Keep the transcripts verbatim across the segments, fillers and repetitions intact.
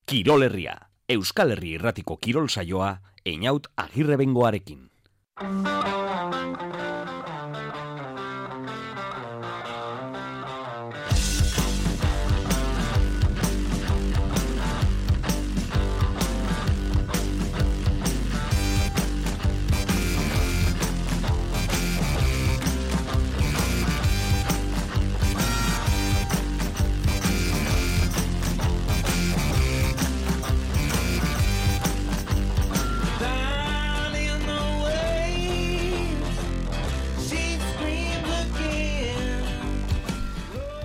Kirol Herria, Euskal Herri Irratiko kirol saioa, Einaut Agirrebengoarekin.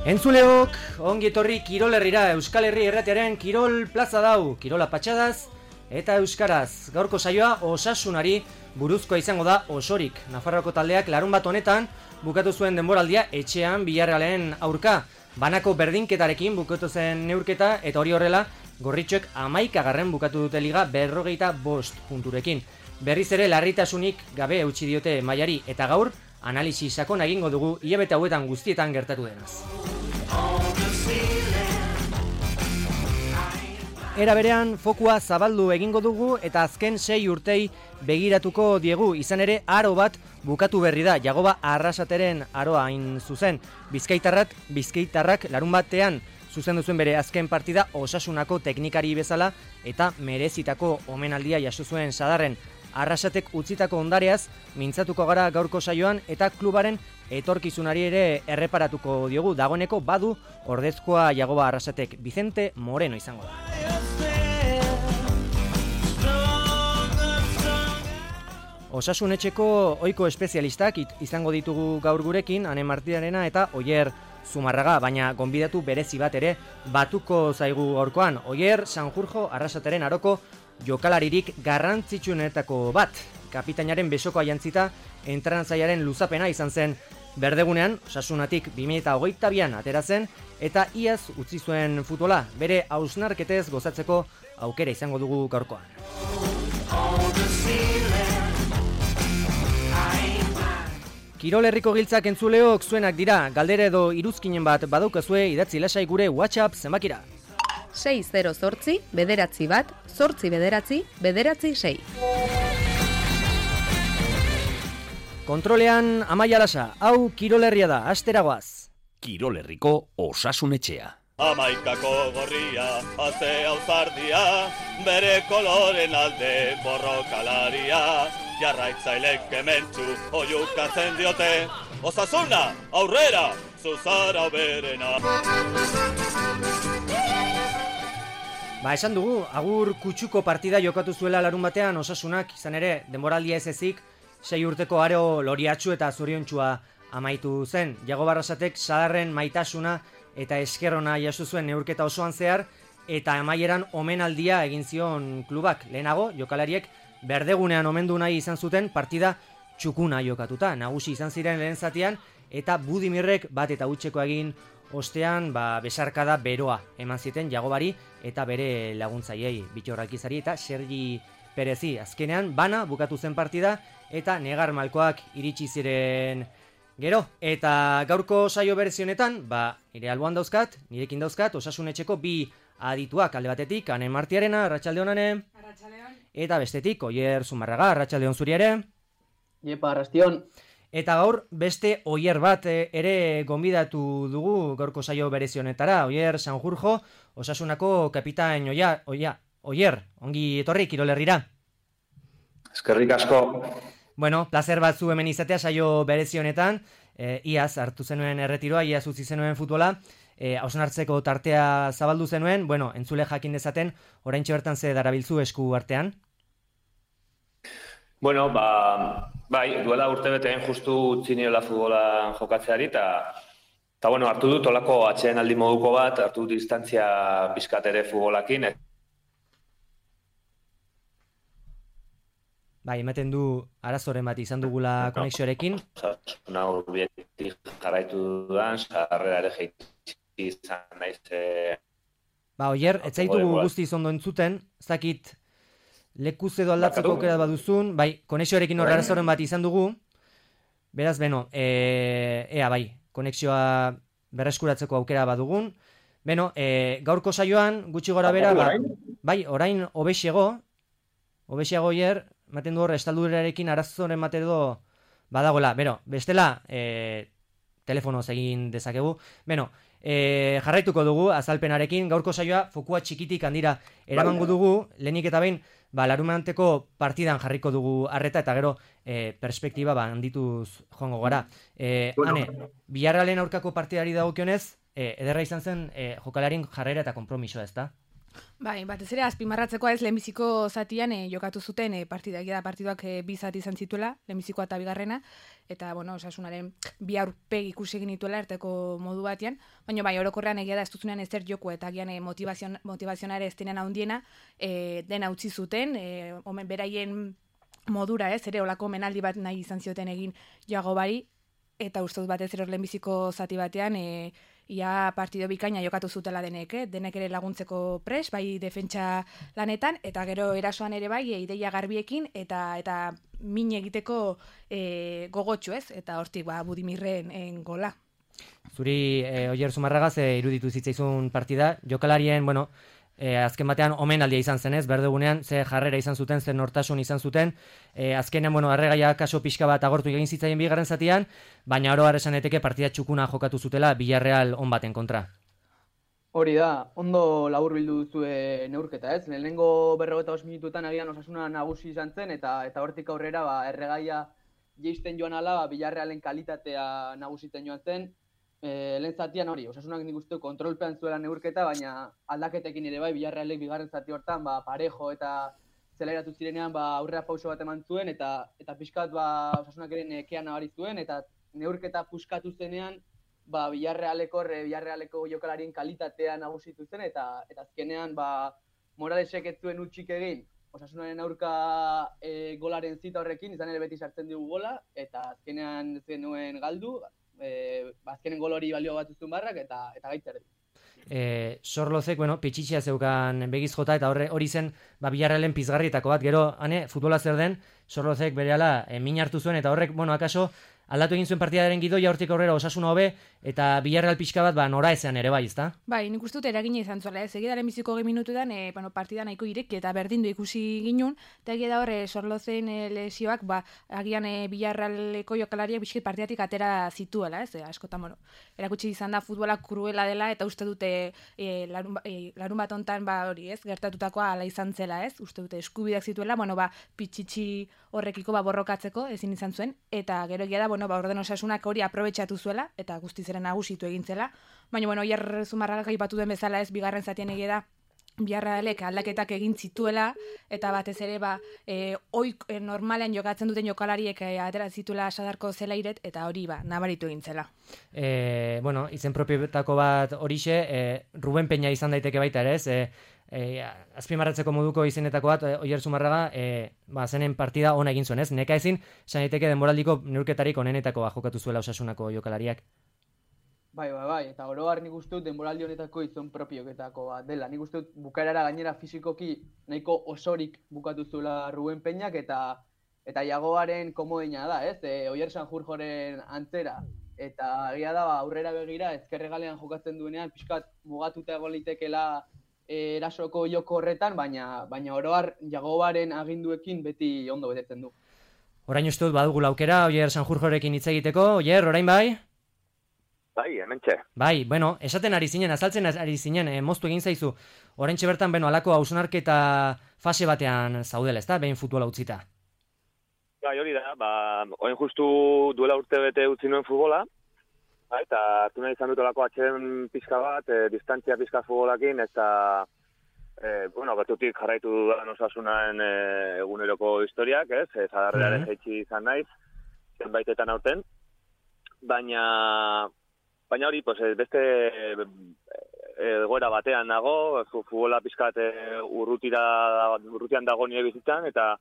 Entzuleok, ongi etorri Kirol Herrira, Euskal Herri Irratiaren Kirol Plaza dau, Kirola patxadaz eta euskaraz. Gaurko saioa Osasunari buruzkoa izango da osorik. Nafarroako taldeak larun bat honetan bukatu zuen denboraldia etxean Villarrealen aurka. Banako berdinketarekin bukatu zen neurketa eta hori horrela gorritxoek hamaikagarren bukatu dute liga berrogeita bost punturekin. Berriz ere larritasunik gabe eutsi diote mailari eta gaur analisi sakon egingo dugu hilabete hauetan guztietan gertatu denaz. Era berean, fokua zabaldu egingo dugu eta azken sei urtei begiratuko diegu, izan ere aro bat bukatu berri da, Jagoba Arrasateren aroa hain zuzen. Bizkaitarrak, Bizkaitarrak larun batean zuzendu zuen bere azken partida Osasunako teknikari bezala eta merezitako omenaldia jaso zuen Sadarren. Arrasatek utzitako ondareaz mintzatuko gara gaurko saioan eta klubaren etorkizunari ere erreparatuko diogu. Dagoeneko badu ordezkoa Jagoba Arrasatek, Vicente Moreno izango da. Osasunetxeko ohiko espezialistak izango ditugu gaur gurekin, Ane Martirarena eta Oier Zumarraga, baina gonbidatu berezi bat ere batuko zaigu gaurkoan. Oier Sanjurjo Arrasateren aroko jokalaririk garrantzitsuenetako bat. Kapitainaren besokoa jantzita entrenatzailaren luzapena izan zen berdegunean, Osasunatik bi mila hogeita bian atera zen eta iaz utzi zuen futbola, bere hausnarketez gozatzeko aukera izango dugu gaurkoan. Kirol Herriko Giltzak entzuleok zuenak dira, galdera edo iruzkinen bat badaukazue idatzi lasai gure WhatsApp zenbakira. sei zero zortzi, bederatzi bat, zortzi bederatzi, bederatzi sei. Kontrolean Amaia Lasa, hau Kirol Herria da, asteragoaz. Kirol Herriko Osasunetxea. Amaikako gorria, azte auzardia, bere koloren alde borrokalaria, jarraitzailek kementzu oiukatzen diote, Osasuna, aurrera, zuzara berena. Ba, esan dugu, agur kutsuko partida jokatu zuela larun batean Osasunak, izan ere, denboraldia ez ezik, sei urteko aro loriatxu eta zoriontsua amaitu zen. Jagoba Arrasatek Sadarren maitasuna eta eskerrona jaso zuen neurketa osoan zehar, eta amaieran omenaldia egin zion klubak. Lehenago, jokalariek berdegunean omendu nahi izan zuten partida txukuna jokatuta. Nagusi izan ziren lehen zatian, eta Budimirrek bat eta utxeko egin ostean ba, besarkada beroa eman ziten Jagobari eta bere laguntzaiei, Bitxorrakizari eta Sergi Perezi. Azkenean, bana bukatu zen partida eta negar malkoak iritsi ziren gero. Eta gaurko saio berezionetan, ba, nire alboan dauzkat, nirekin dauzkat, Osasunetxeko bi adituak, alde batetik, Ane Martirarena, Arratsaldeon Ane. Arratsaldeon. Eta bestetik, Oier Zumarraga, Arratsaldeon zuri ere. Iepa, arrastion. Eta gaur beste Oier bat ere gonbidatu dugu gaurko saio berezionetara, Oier Sanjurjo, Osasunako kapitain Oia, Oia, Oier, ongi etorri Kirol Herrira. Eskerrik asko. Bueno, placer bat zu hemen izatea saio berezionetan, e, iaz hartu zenuen erretiroa, iaz utzi zenuen futbola, e, hausnartzeko tartea zabaldu zenuen, bueno, entzule jakin dezaten, oraintxe bertan ze darabiltzu esku artean? Bueno, ba, bai, duela urte beteen justu utzi niola futbola jokatzeari, eta eta bueno, hartu dut olako atxeen aldi moduko bat, hartu dut distantzia pizkat ere futbolakin. Bai, ematen du arazoren bat izan dugula konexioarekin. Osasuna urbietik jarraitu dudan, sarrera ere jeitzi izan naiz. Ba, Oier, ez zaitugu guzti ondo entzuten, ez dakit lekuz edo aldatzeko aukera baduzun, bai, konexioarekin hor arazoren bat izan dugu. Beraz, beno, e, ea bai, konexioa berreskuratzeko aukera badugun, Beno, e, gaurko saioan, gutxi gora bera, ba, bai, orain obexego, obexego hier, maten du hor, estaldurarekin arazoren matedo badagoela. Bero, bestela, e, telefonoz egin dezakegu. Beno, e, jarraituko dugu azalpenarekin, gaurko saioa fokua txikitik handira eramango dugu, lehenik eta behin, ba, larumanteko partidan jarriko dugu arreta, eta gero e, perspektiba ba, handituz joango gara. E, bueno. Hane, Villarrealen aurkako partidari dagokionez, e, ederra izan zen e, jokalarin jarrera eta konpromisoa, ez da? Bai, batez ere azpimarratzekoa ez lehenbiziko zatian e, jokatu zuten e, partida, da partiduak e, bi zati izan zituela, lehenbizikoa eta bigarrena, eta bueno, Osasunaren bi aurpegi ikusi egin dituela erteko modu batean, baina bai, orokorrean egia da ez duzunean ezer joku eta gian e, motivazion, motivazionare ez denean handiena, e, dena utzi zuten, e, omen beraien modura ez, ere olako menaldi bat nahi izan zioten egin joago bari, eta uste dut batez ere lehenbiziko zati batean, e, ia partido bikaina jokatu zutela denek, eh? Denek ere laguntzeko pres, bai defentsa lanetan, eta gero erasoan ere bai, ideia garbiekin, eta eta min egiteko e, gogotxu ez, eta hortik ba, Budimirren en gola. Zuri, e, Oier Zumarragaz, e, iruditu zitzaizun partida, jokalarien, bueno, E, azken batean omenaldia izan zenez, berdegunean ze jarrera izan zuten, ze nortasun izan zuten, e, azkenean, bueno, arregaia kaso pixka bat agortu egin zitzaien bigarren zatian, baina oro har esan daiteke partida txukuna jokatu zutela Villarreal on baten kontra. Hori da, ondo laburbildu duzue neurketa, ez? Lehenengo berrogeita bost minututan agian Osasuna nagusi izan zen, eta eta hortik aurrera ba, erregaia jeisten joan ala, ba, Villarrealen kalitatea nagusitzen joan zen. E, lehen zatian hori, Osasunak nik uste kontrolpean zuela neurketa, baina aldaketekin ere bai, Villarrealek bigarren zati hortan, ba, parejo eta zeleratu zirenean ba, aurrera pauso bat eman zuen, eta eta pixkat ba, Osasunak ere nekean nabari zuen, eta neurketa puskatu zenean, ba, Villarrealeko, Villarrealeko jokalarien kalitatea nagusitu zen, eta eta azkenean ba, Moralesek ez zuen utxik egin, Osasunaren aurka e, golaren zita horrekin, izan ere beti sartzen dugu gola, eta azkenean ez genuen galdu, E, azkenen gol hori balio bat uzun barrak eta eta gaitzer. E, Sorlozek, bueno, pitxitxea zeukan begiz jota eta horre hori zen ba, Villarrealen pizgarrietako bat, gero, hane, futbola zer den, Sorlozek berehala e, min hartu zuen, eta horrek, bueno, akaso, aldatu egin zuen partidaren gidoia hortik aurrera Osasuna hobe, eta Villarreal pixka bat, ba, nora ezean ere bai, ezta? Bai, nik uste dut eragina izan zuela, ez, egidaren biziko gehi minututan, e, bueno, partida nahiko ireki eta berdindu ikusi ginun, eta egia da horre Sorlozen e, lesioak, ba, agian e, Villarrealeko jokalariak bizkit partidatik atera zituela, ez, e, askotan, bueno, erakutsi izan da futbola kruela dela, eta uste dute e, larun, e, larun bat ontan, ba, hori, ez, gertatutakoa ala izan zela, ez, uste dute eskubideak zituela, bueno, ba, pitxitxi horrekiko ba, borrokatzeko ezin izan zuen, eta gero egia da, bueno, ba, orden Osasunak hori aprobetxatu zuela, eta guztizeren nagusitu egin zela. Baina, bueno, Oier Zumarragak aipatu den bezala ez, bigarren zatien egia da, Villarrealek aldaketak egin zituela, eta batez ere, ba, e, oik e, normalean jokatzen duten jokalariek e, atera zituela Sadarko zelairet, eta hori, ba, nabaritu egin zela. E, bueno, izen propietako bat horixe, e, Ruben Peña izan daiteke baita ere, ez? E, E, azpimarratzeko moduko izenetako bat, Oier Zumarraga, e, ba, zenen partida ona egin zuen, ez? Neka ezin, esan daiteke denboraldiko neurketarik onenetakoa jokatu zuela Osasunako jokalariak. Bai, bai, bai, eta oro har nik uste dut denboraldi honetako izon propioketako bat dela. Nik uste dut bukaerara gainera fisikoki nahiko osorik bukatu zuela Ruben Peñak, eta eta Iagoaren komodeina da, ez? E, Oier Sanjurjoren antzera. Eta egia da, ba, aurrera begira, ezkerregalean jokatzen duenean, pixkat mugatuta egon litekela erasoko joko horretan, baina baina oro har Jagobaren aginduekin beti ondo betetzen du. Orain uste dut badugula aukera Oier Sanjurjorekin hitz egiteko. Oier, orain bai? Bai, hementxe. Bai, bueno, esaten ari zinen, azaltzen ari zinen, eh, moztu egin zaizu. Oraintxe bertan, beno, alako hausnarketa fase batean zaudela, ezta? Behin futbola utzita. Bai, hori da, ba, orain justu duela urte bete utzi nuen futbola, ba, eta hartu nahi izan dut olako atxeden pizka bat, e, distantzia pizka futbolakin, eta e, bueno, bertutik jarraitu dudan Osasunaen e, eguneroko historiak, ez? Ez adarrearen mm-hmm. jaitsi izan naiz, zenbaitetan aurten, baina baina hori, pues, beste egoera batean nago, futbola pizkat urrutira, urrutian dago nire bizitzan, eta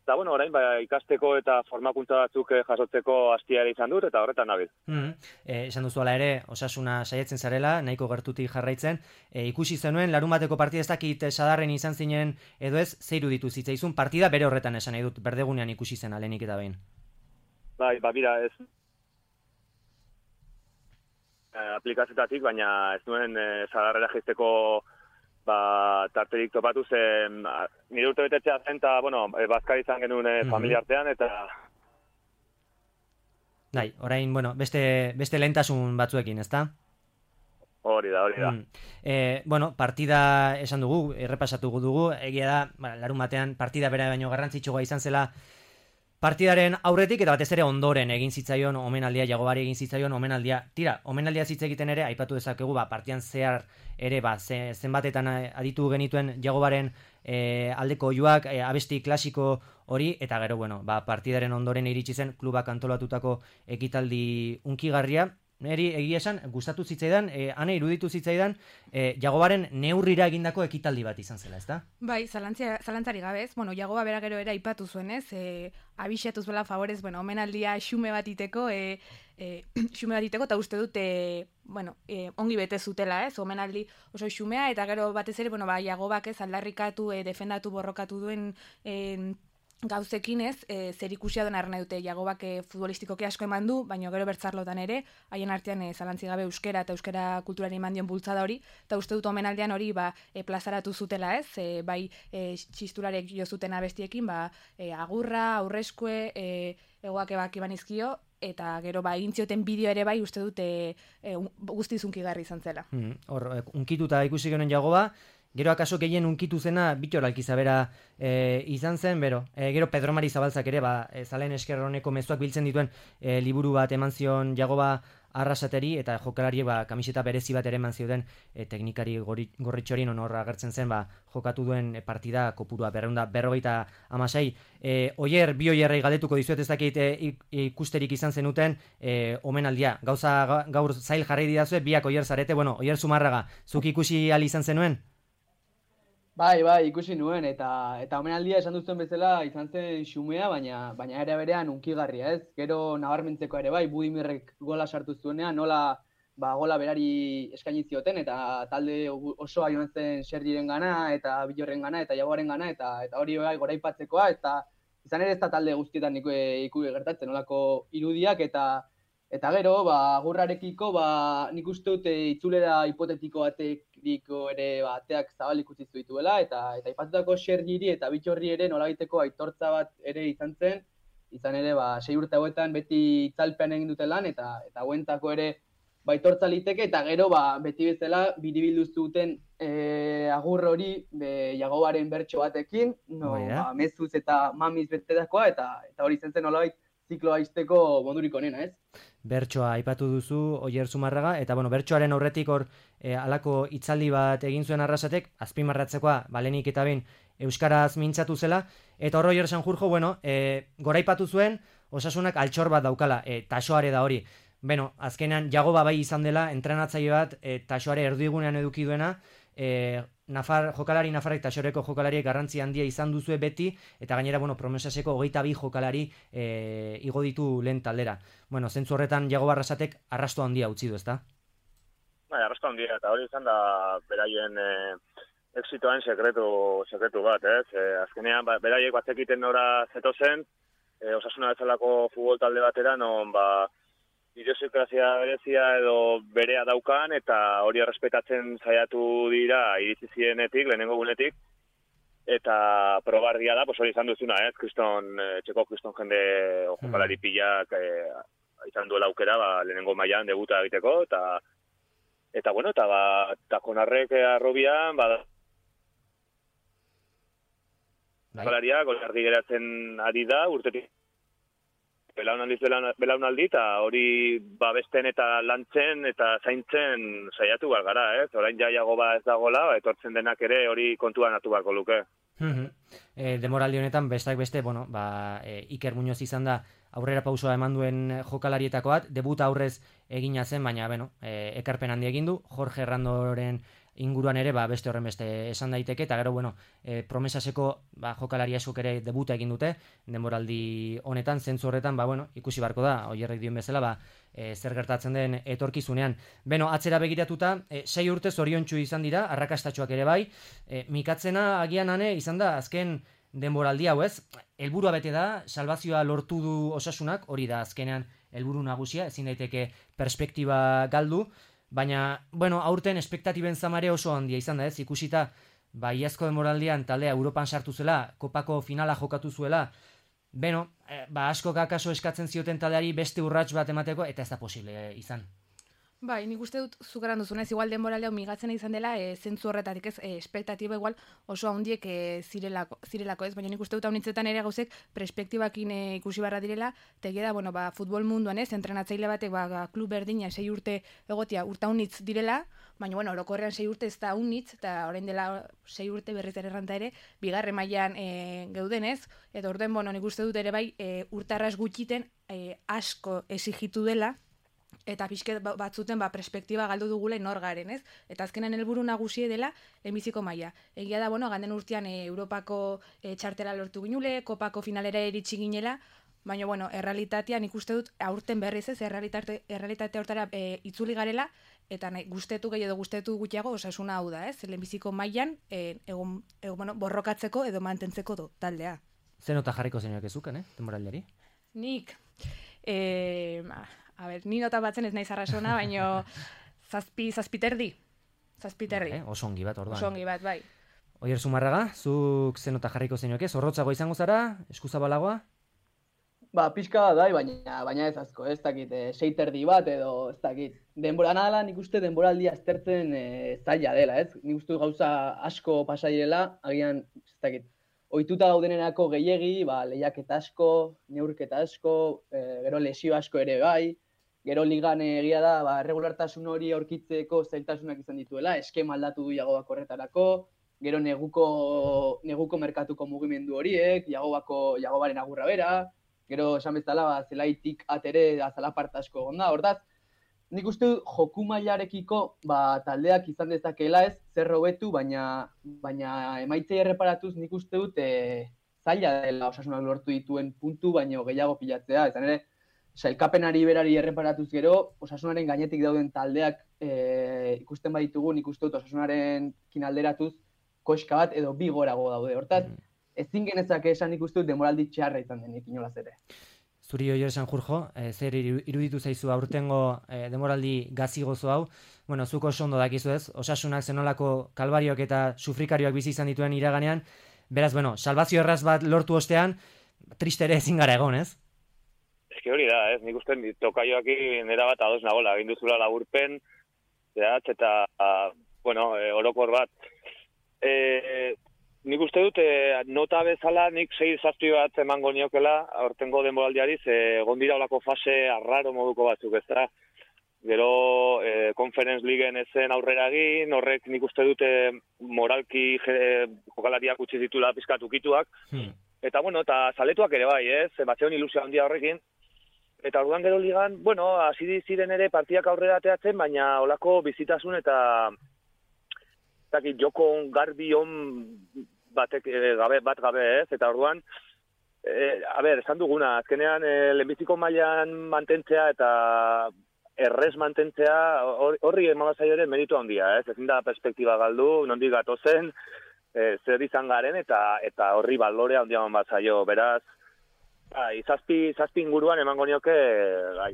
Eta, bueno, orain, ba, ikasteko eta formakuntza batzuk jasotzeko hastia ere izan dut, eta horretan nabil. Mm-hmm. E, esan duzuala ere, Osasuna saiatzen zarela, nahiko gertutik jarraitzen. E, ikusi zenuen, larun bateko partida ez dakit sadarren izan zinen, edo ez, zeiru ditu zitzaizun, partida bere horretan esan nahi dut, berdegunean ikusi zen alenik eta behin. Bai, ba, bira, ez. aplikazioetatik, baina ez nuen e, zagarrera jaisteko ba, tarterik topatu zen, nire urte betetzea zen, eta, bueno, e, bazkari izan genuen e, familia artean, eta... Dai, orain, bueno, beste, beste lehentasun batzuekin, ezta? Hori da, hori da. Mm. E, bueno, partida esan dugu, errepasatu dugu, egia da, ba, larun batean partida bera baino garrantzitsua izan zela partidaren aurretik, eta batez ere ondoren egin zitzaion omenaldia, Jagobari egin zitzaion omenaldia. Tira, omenaldia hitz egiten ere, aipatu dezakegu, ba, partian zehar ere, ba, ze, zenbatetan aditu genituen Jagobaren e, aldeko oihuak, e, abesti klasiko hori, eta gero, bueno, ba, partidaren ondoren iritsi zen klubak antolatutako ekitaldi unkigarria. Neri egia esan, gustatu zitzaidan, e, ane iruditu zitzaidan, e, Jagobaren neurrira egindako ekitaldi bat izan zela, ezta? Bai, zalantzia, zalantzari gabez, bueno, Jagoba bera gero era aipatu zuenez, e, abixatu zuela favorez, bueno, omenaldia xume bat iteko, e, e, xume bat iteko, eta uste dut, e, bueno, e, ongi bete zutela, ez, omenaldi oso xumea, eta gero batez ere, bueno, ba, Jagobak ez aldarrikatu, e, defendatu, borrokatu duen, e, gauzekin ez, e, zer ikusia duen arna dute Jagobak e, futbolistikoki asko eman du, baina gero bertzarlotan ere, haien artean e, zalantzi gabe euskera eta euskera kulturari eman dion bultzada hori, eta uste dut omenaldian hori ba, e, plazaratu zutela ez, e, bai e, txisturarek jo zuten abestiekin, ba, e, agurra, aurreskue, e, egoak ebak iban izkio, eta gero ba, egin zioten bideo ere bai uste dut e, e, guztiz unkigarri izan zela. Hmm, hor, unkituta ikusi genuen Jagoba, gero akaso gehien unkitu zena Bittor Alkizabera e, izan zen, bero. E, gero Pedro Mari Zabaltzak ere, ba, e, Zalen Eskerroneko mezuak biltzen dituen e, liburu bat eman zion Jagoba arrasateri, eta jokalari ba, kamiseta berezi bat ere eman zioten e, teknikari gorritxorin honor agertzen zen, ba, jokatu duen partida kopurua berreunda berrogeita amasei. E, oier, bi oierrei galdetuko dizuet ez dakit e, ikusterik izan zenuten e, omenaldia. Gauza gaur zail jarri didazue, biak oier zarete, bueno, oier Zumarraga, zuk ikusi ali izan zenuen? Bai, bai, ikusi nuen, eta eta omenaldia esan duzuen bezala izan zen xumea, baina baina ere berean unkigarria, ez? Gero nabarmentzeko ere bai, Budimirrek gola sartu zuenean, nola ba, gola berari eskaini zioten, eta talde osoa joan zen Sergiren gana, eta Bilorren gana, eta Jagoaren gana, eta eta hori bai goraipatzekoa, eta izan ere ez da talde guztietan iku, iku gertatzen, nolako irudiak, eta Eta gero, ba, agurrarekiko, ba, nik uste dute itzulera hipotetiko batekiko ere ba, ateak zabalik utzi dituela, eta eta aipatutako Sergiri eta Bittorri ere nolabaiteko aitortza bat ere izan zen, izan ere, ba, sei urte hauetan beti itzalpean egin dute lan, eta eta hauentako ere ba, aitortza liteke, eta gero, ba, beti bezala, biribildu zuten e, agur hori be, Jagobaren bertso batekin, no, ba, mezuz eta mamiz betetakoa, eta eta hori zen zen nolabait zikloa izteko modurik onena, ez? Bertsoa aipatu duzu, Oier Zumarraga, eta bueno, bertsoaren aurretik hor e, alako hitzaldi bat egin zuen Arrasatek, azpimarratzekoa, balenik eta behin euskaraz mintzatu zela, eta hor Oier Sanjurjo, bueno, e, goraipatu zuen, Osasunak altxor bat daukala, e, tasoare da hori. Beno, azkenean Jagoba bai izan dela, entrenatzaile bat, e, tasoare erdigunean eduki duena, e, Nafar, jokalari Nafarrek tasoreko jokalariek garrantzi handia izan duzue beti, eta gainera, bueno, promesaseko hogeita bi jokalari e, igo ditu lehen taldera. Bueno, zentzu horretan Jagoba Arrasatek arrasto handia utzi du, ezta? Bai, arrasto handia, eta hori izan da beraien e, exitoen sekretu, sekretu bat, ez? E, azkenean, ba, beraiek batzekiten nora zetozen, e, Osasuna bezalako futbol talde batera, non, ba, idiosinkrazia berezia edo berea daukan, eta hori errespetatzen saiatu dira iritsi zienetik, lehenengo gunetik, eta probardia da, pues hori izan duzuna, ez? Kriston, txeko kriston jende jokalari pilak e, izan duela aukera, ba, lehenengo mailan debuta egiteko, eta eta bueno, eta ba, takonarrek arrobian, ba, jokalaria, golardi geratzen ari da, urtetik belaunaldiz belaunaldi, eta hori babesten eta lantzen eta zaintzen saiatu behar gara, ez? Orain ja Jagoba ez dagoela, etortzen denak ere hori kontuan hartu beharko luke. E, demoraldi honetan, bestak beste, bueno, ba, e, Iker Muñoz izan da aurrera pausoa eman duen jokalarietako bat, debuta aurrez egina zen, baina, bueno, e, ekarpen handi egin du, Jorge Errandoren inguruan ere, ba, beste horren beste esan daiteke, eta gero, bueno, e, promesaseko ba, jokalari askok ere debuta egin dute, denboraldi honetan, zentzu horretan, ba, bueno, ikusi barko da, Oierrek dion bezala, ba, e, zer gertatzen den etorkizunean. Beno, atzera begiratuta, e, sei urte zoriontsu izan dira, arrakastatxoak ere bai, e, mikatzena agian ane izan da, azken denboraldi hau ez, helburua bete da, salbazioa lortu du Osasunak, hori da azkenean helburu nagusia, ezin daiteke perspektiba galdu, baina, bueno, aurten espektatiben zamare oso handia izan da ez, ikusita, ba, iazko denboraldian taldea Europan sartu zela, kopako finala jokatu zuela, beno, eh, ba, asko kakaso eskatzen zioten taldeari beste urrats bat emateko, eta ez da posible eh, izan. Bai, nik uste dut zukaran duzunez, igual denboralde hau migatzen izan dela, e, zentzu horretatik ez, e, espektatiba igual oso handiek e, zirelako, zirelako ez, baina nik uste dut haunitzetan ere gauzek perspektibakin e, ikusi barra direla, tegia da, bueno, ba, futbol munduan ez, entrenatzaile batek, ba, klub berdina sei urte egotia urta unitz direla, baina, bueno, orokorrean sei urte ez da unitz, eta orain dela sei urte berriz ere erranta ere, bigarren mailan e, geudenez, eta orden, bueno, nik uste dut ere bai, e, urtarraz gutxiten e, asko exigitu dela, eta pixket batzuten ba, perspektiba galdu dugula nor garen, ez? Eta azkenan helburu nagusie dela lehenbiziko maila. Egia da, bueno, ganden urtean e, Europako e, txartela lortu ginule, kopako finalera iritsi ginela, baina, bueno, errealitatea nik uste dut aurten berriz ez, errealitate, errealitate hortara e, itzuli garela, eta nahi, guztetu gehi edo guztetu gutxiago osasuna hau da, ez? Lehenbiziko mailan e, egon, egon, bueno, borrokatzeko edo mantentzeko do, taldea. Zer nota jarriko zenioak ezuken, eh? Denboraldiari? Nik, eh, a ber, ni nota batzen ez naiz arrasona, baino zazpi, zazpiterdi. Zazpiterdi. Eh, oso ongi bat, orduan. Oso ongi bat, bai. Oier Zumarraga, zuk zen nota jarriko zenioak ez? Zorrotzago izango zara? Eskuzabalagoa? Ba, pixka bat dai, baina, baina ez asko, ez dakit, e, seiterdi bat edo ez dakit. Denbora nadala nik uste denboraldia aztertzen e, zaila dela, ez? Nik uste gauza asko pasaiela, agian, ez dakit, ohituta gaudenerako gehiegi, ba, lehiaketa asko, neurketa asko, e, gero lesio asko ere bai, gero ligan egia da, ba, regulartasun hori aurkitzeko zailtasunak izan dituela, eskema aldatu du Jagoak horretarako, gero neguko, neguko merkatuko mugimendu horiek, Jagobako, Jagobaren agurra bera, gero esan bezala, ba, zelaitik atere azalaparta asko egon da, hortaz, nik uste dut joku mailarekiko ba, taldeak izan dezakeela ez, zer hobetu, baina, baina emaitzei erreparatuz nik uste dut e, zaila dela Osasunak lortu dituen puntu, baino gehiago pilatzea. Ezan ere, sailkapenari berari erreparatuz gero, Osasunaren gainetik dauden taldeak e, ikusten baditugu, nik uste dut Osasunaren kinalderatuz koska bat edo bi gorago daude. Hortaz, ezin genezake esan nik uste dut denboraldi txarra izan denik inolaz ere. Zuri Oier Sanjurjo, e, zer iruditu zaizu aurtengo e, denboraldi gazigozo hau? Bueno, zuko oso ondo dakizu ez, Osasunak zenolako kalbarioak eta sufrikarioak bizi izan dituen iraganean, beraz, bueno, salbazio erraz bat lortu ostean, triste ere ezin gara egon, ez? Eski hori da, ez, nik uste tokaioakin nera bat ados nagola, egin duzula laburpen, zehatz, eta, bueno, e, orokor bat. E, Nik uste dut, e, nota bezala nik sei zazpi bat emango niokela aurtengo denboraldiari, ze egon dira olako fase arraro moduko batzuk, ez da. Gero, e, Conference Leagueen ezen aurrera egin, horrek nik uste dute moralki je, jokalariak utzi ditula pizkatukituak. Hmm. Eta, bueno, eta zaletuak ere bai, ez? Batzeon ilusia handia horrekin. Eta orduan gero ligan, bueno, hasi ziren ere partidak aurrera ateatzen, baina olako bizitasun eta joko garbi on batek gabe, bat gabe ez, eta orduan, e, a ber, esan duguna, azkenean e, lehenbiziko mailan mantentzea eta errez mantentzea, horri emabazaio ere meritu handia, ez, ezin da perspektiba galdu, nondik gatozen, e, zer izan garen, eta eta horri balorea handia emabazaio, beraz, bai, zazpi, zazpi inguruan emango nioke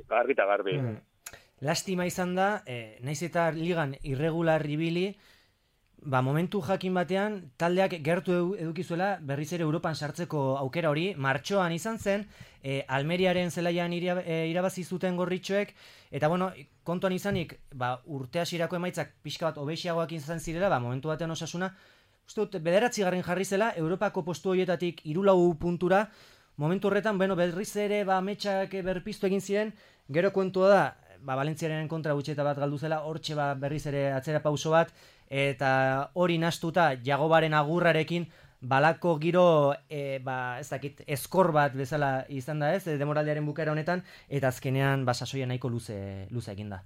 garbi eta garbi. Hmm. Lastima izan da, e, naiz eta ligan irregular ibili, ba, momentu jakin batean, taldeak gertu edukizuela berriz ere Europan sartzeko aukera hori, martxoan izan zen, e, Almeriaren zelaian ira, e, irabazi zuten gorritxoek, eta bueno, kontuan izanik, ba, urte hasierako emaitzak pixka bat obeixiagoak izan zirela, ba, momentu batean Osasuna, uste dut, bederatzi garren jarri zela, Europako postu horietatik hirulau puntura, momentu horretan, bueno, berriz ere, ba, metxak berpiztu egin ziren, gero kontua da, ba, Valentziaren kontra gutxeta bat galdu zela, hortxe ba, berriz ere atzera pauso bat, eta hori nastuta Jagobaren agurrarekin balako giro e, ba, ez dakit, eskor bat bezala izan da ez, demoraldiaren bukaera honetan, eta azkenean ba, sasoia nahiko luze, luze egin da.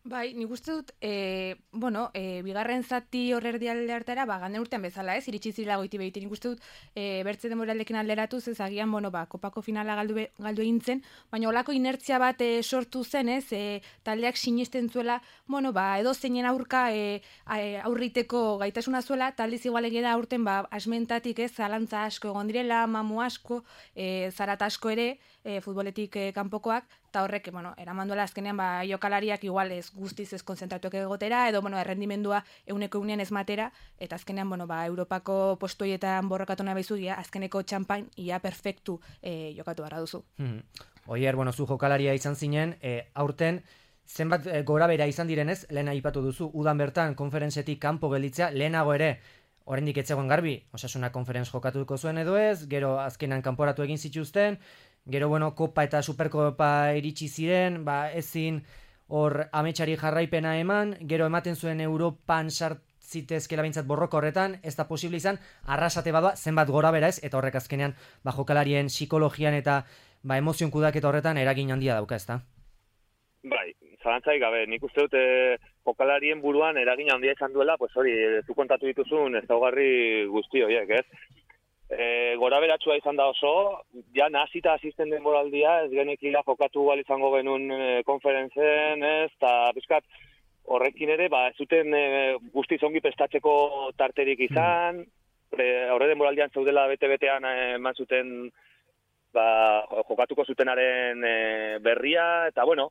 Bai, nik uste dut, e, bueno, e, bigarren zati horrerdi alde hartara, ba, gane urtean bezala, ez, iritsi zirela goiti behite, nik uste dut, e, bertze demoraldekin alderatuz, ez agian, bueno, ba, kopako finala galdu, be, galdu egin zen, baina olako inertzia bat e, sortu zen, ez, e, taldeak sinisten zuela, bueno, ba, edo zeinen aurka e, aurriteko gaitasuna zuela, taldiz igual egeda aurten, ba, asmentatik, ez, zalantza asko egon direla, mamu asko, e, zarat asko ere, e, futboletik e, kanpokoak, eta horrek, bueno, eramanduela azkenean, ba, jokalariak igual ez guztiz ez konzentratuak egotera, edo, bueno, errendimendua euneko eunean ez matera, eta azkenean, bueno, ba, Europako postoietan borrokatu nahi baizu, ia, azkeneko txampan, ia perfektu e, jokatu gara duzu. Hmm. Oier, bueno, zu jokalaria izan zinen, e, aurten, zenbat e, gora bera izan direnez, lehen aipatu duzu, udan bertan konferentzetik kanpo gelditzea, lehenago ere, oraindik ez zegoen garbi, Osasuna konferentz jokatuko zuen edo ez, gero azkenan kanporatu egin zituzten, gero, bueno, Kopa eta Superkopa iritsi ziren, ba, ezin hor ametsari jarraipena eman, gero ematen zuen Europan sartzitezkela bintzat borroka horretan, ez da posible izan, arrasate badoa, zenbat gora bera ez, eta horrek azkenean, ba, jokalarien psikologian eta ba, emozion kudaketa horretan eragin handia dauka, ez da? Bai, zalantzaik gabe, nik uste dute jokalarien buruan eragin handia izan duela, pues hori, zu kontatu dituzun ezaugarri guzti horiek, ez? E, gora beratsua izan da oso, ja nazita asisten denboraldia, ez genekila jokatu bal izango genuen e, konferentzen, ez, eta bizkat horrekin ere, ba, ez zuten e, guztiz ongi prestatzeko tarterik izan, mm. horre denboraldian zaudela bete-betean eman zuten ba, jokatuko zutenaren e, berria, eta bueno,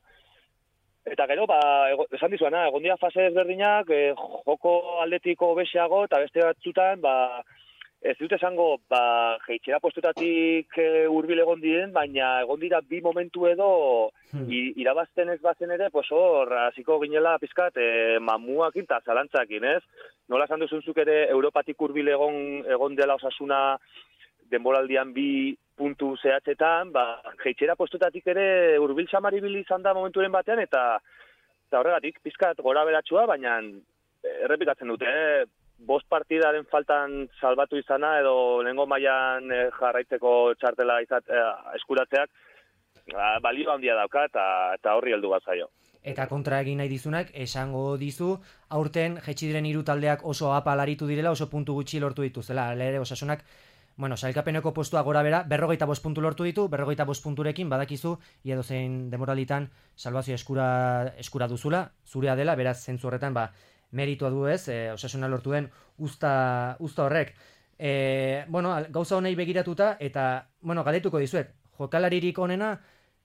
eta gero, ba, ego, esan dizuana, egon dira fase ezberdinak, e, joko aldetiko beseago, eta beste batzutan, ba, ez dut esango, ba, jeitxera postutatik e, hurbil egon diren, baina egon dira bi momentu edo hmm. irabazten ez bazen ere, pues hor, hasiko ginela pizkat, e, mamuakin eta zalantzakin, ez? Nola esan duzunzuk ere, Europatik hurbil egon, egon dela Osasuna denboraldian bi puntu zehatzetan, ba, jeitxera postutatik ere hurbil samaribil izan da momenturen batean, eta, eta horregatik, pizkat gora beratsua, baina errepikatzen dute, eh? Bost partidaren faltan salbatu izana edo lehengo mailan e, jarraitzeko txartela izat, e, eskuratzeak ba, balio handia dauka eta, eta horri heldu bat zaio. Eta kontra egin nahi dizunak, esango dizu, aurten jetxi diren hiru taldeak oso apal aritu direla, oso puntu gutxi lortu dituzela. Lere, Osasunak, bueno, sailkapeneko postua gora bera, berrogeita bost puntu lortu ditu, berrogeita bost punturekin badakizu, ia dozein demoralitan salvazio eskura, eskura duzula, zurea dela, beraz zentzu horretan, ba, meritua du ez, e, Osasuna lortu den usta, usta horrek. E, bueno, gauza honei begiratuta, eta, bueno, galdetuko dizuet, jokalaririk onena,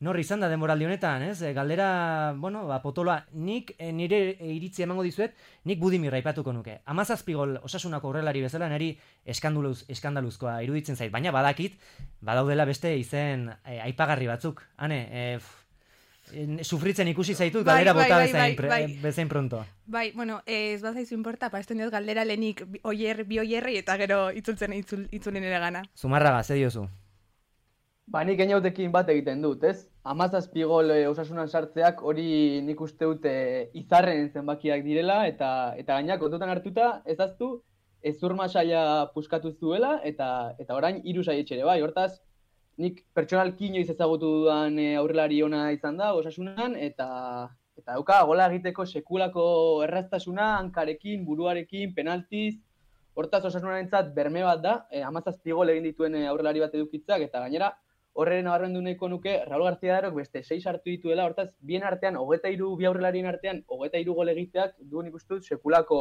norri izan da denboraldi honetan, ez? E, galdera, bueno, ba, potoloa, nik e, nire iritzi emango dizuet, nik Budimirra aipatuko nuke. Hamazazpi gol Osasunako horrelari bezala, niri eskandaluz, eskandaluzkoa iruditzen zait, baina badakit, badaudela beste izen e, aipagarri batzuk. Hane, e, sufritzen ikusi zaitut, bai, galdera bota bai, bezain, bai, bai. bezain pronto. Bai, bueno, ez bazaizu importa, pa esten diot galdera lehenik oier, bi oierri eta gero itzultzen itzul, itzulin ere gana. Zumarraga, ze diozu? Ba, nik eniautekin bat egiten dut, ez? Hamazazpi gol e, Osasunan sartzeak hori nik uste dut e, izarren zenbakiak direla, eta eta gaina kontutan hartuta, ezaztu, ezurma saia puskatu zuela, eta eta orain hiru saietxere bai, hortaz, nik pertsonalki inoiz ezagutu dudan e, aurrelari ona izan da Osasunan, eta eta dauka gola egiteko sekulako erraztasuna, hankarekin, buruarekin, penaltiz, hortaz Osasunarentzat berme bat da, e, hamazazpi gol egin dituen e, aurrelari bat edukitzak, eta gainera, horren nabarmendu nahiko nuke, Raul García Darok beste sei hartu dituela, hortaz, bien artean, hogeita hiru bi aurrelarien artean, hogeita hiru gol egiteak duen ikustut sekulako,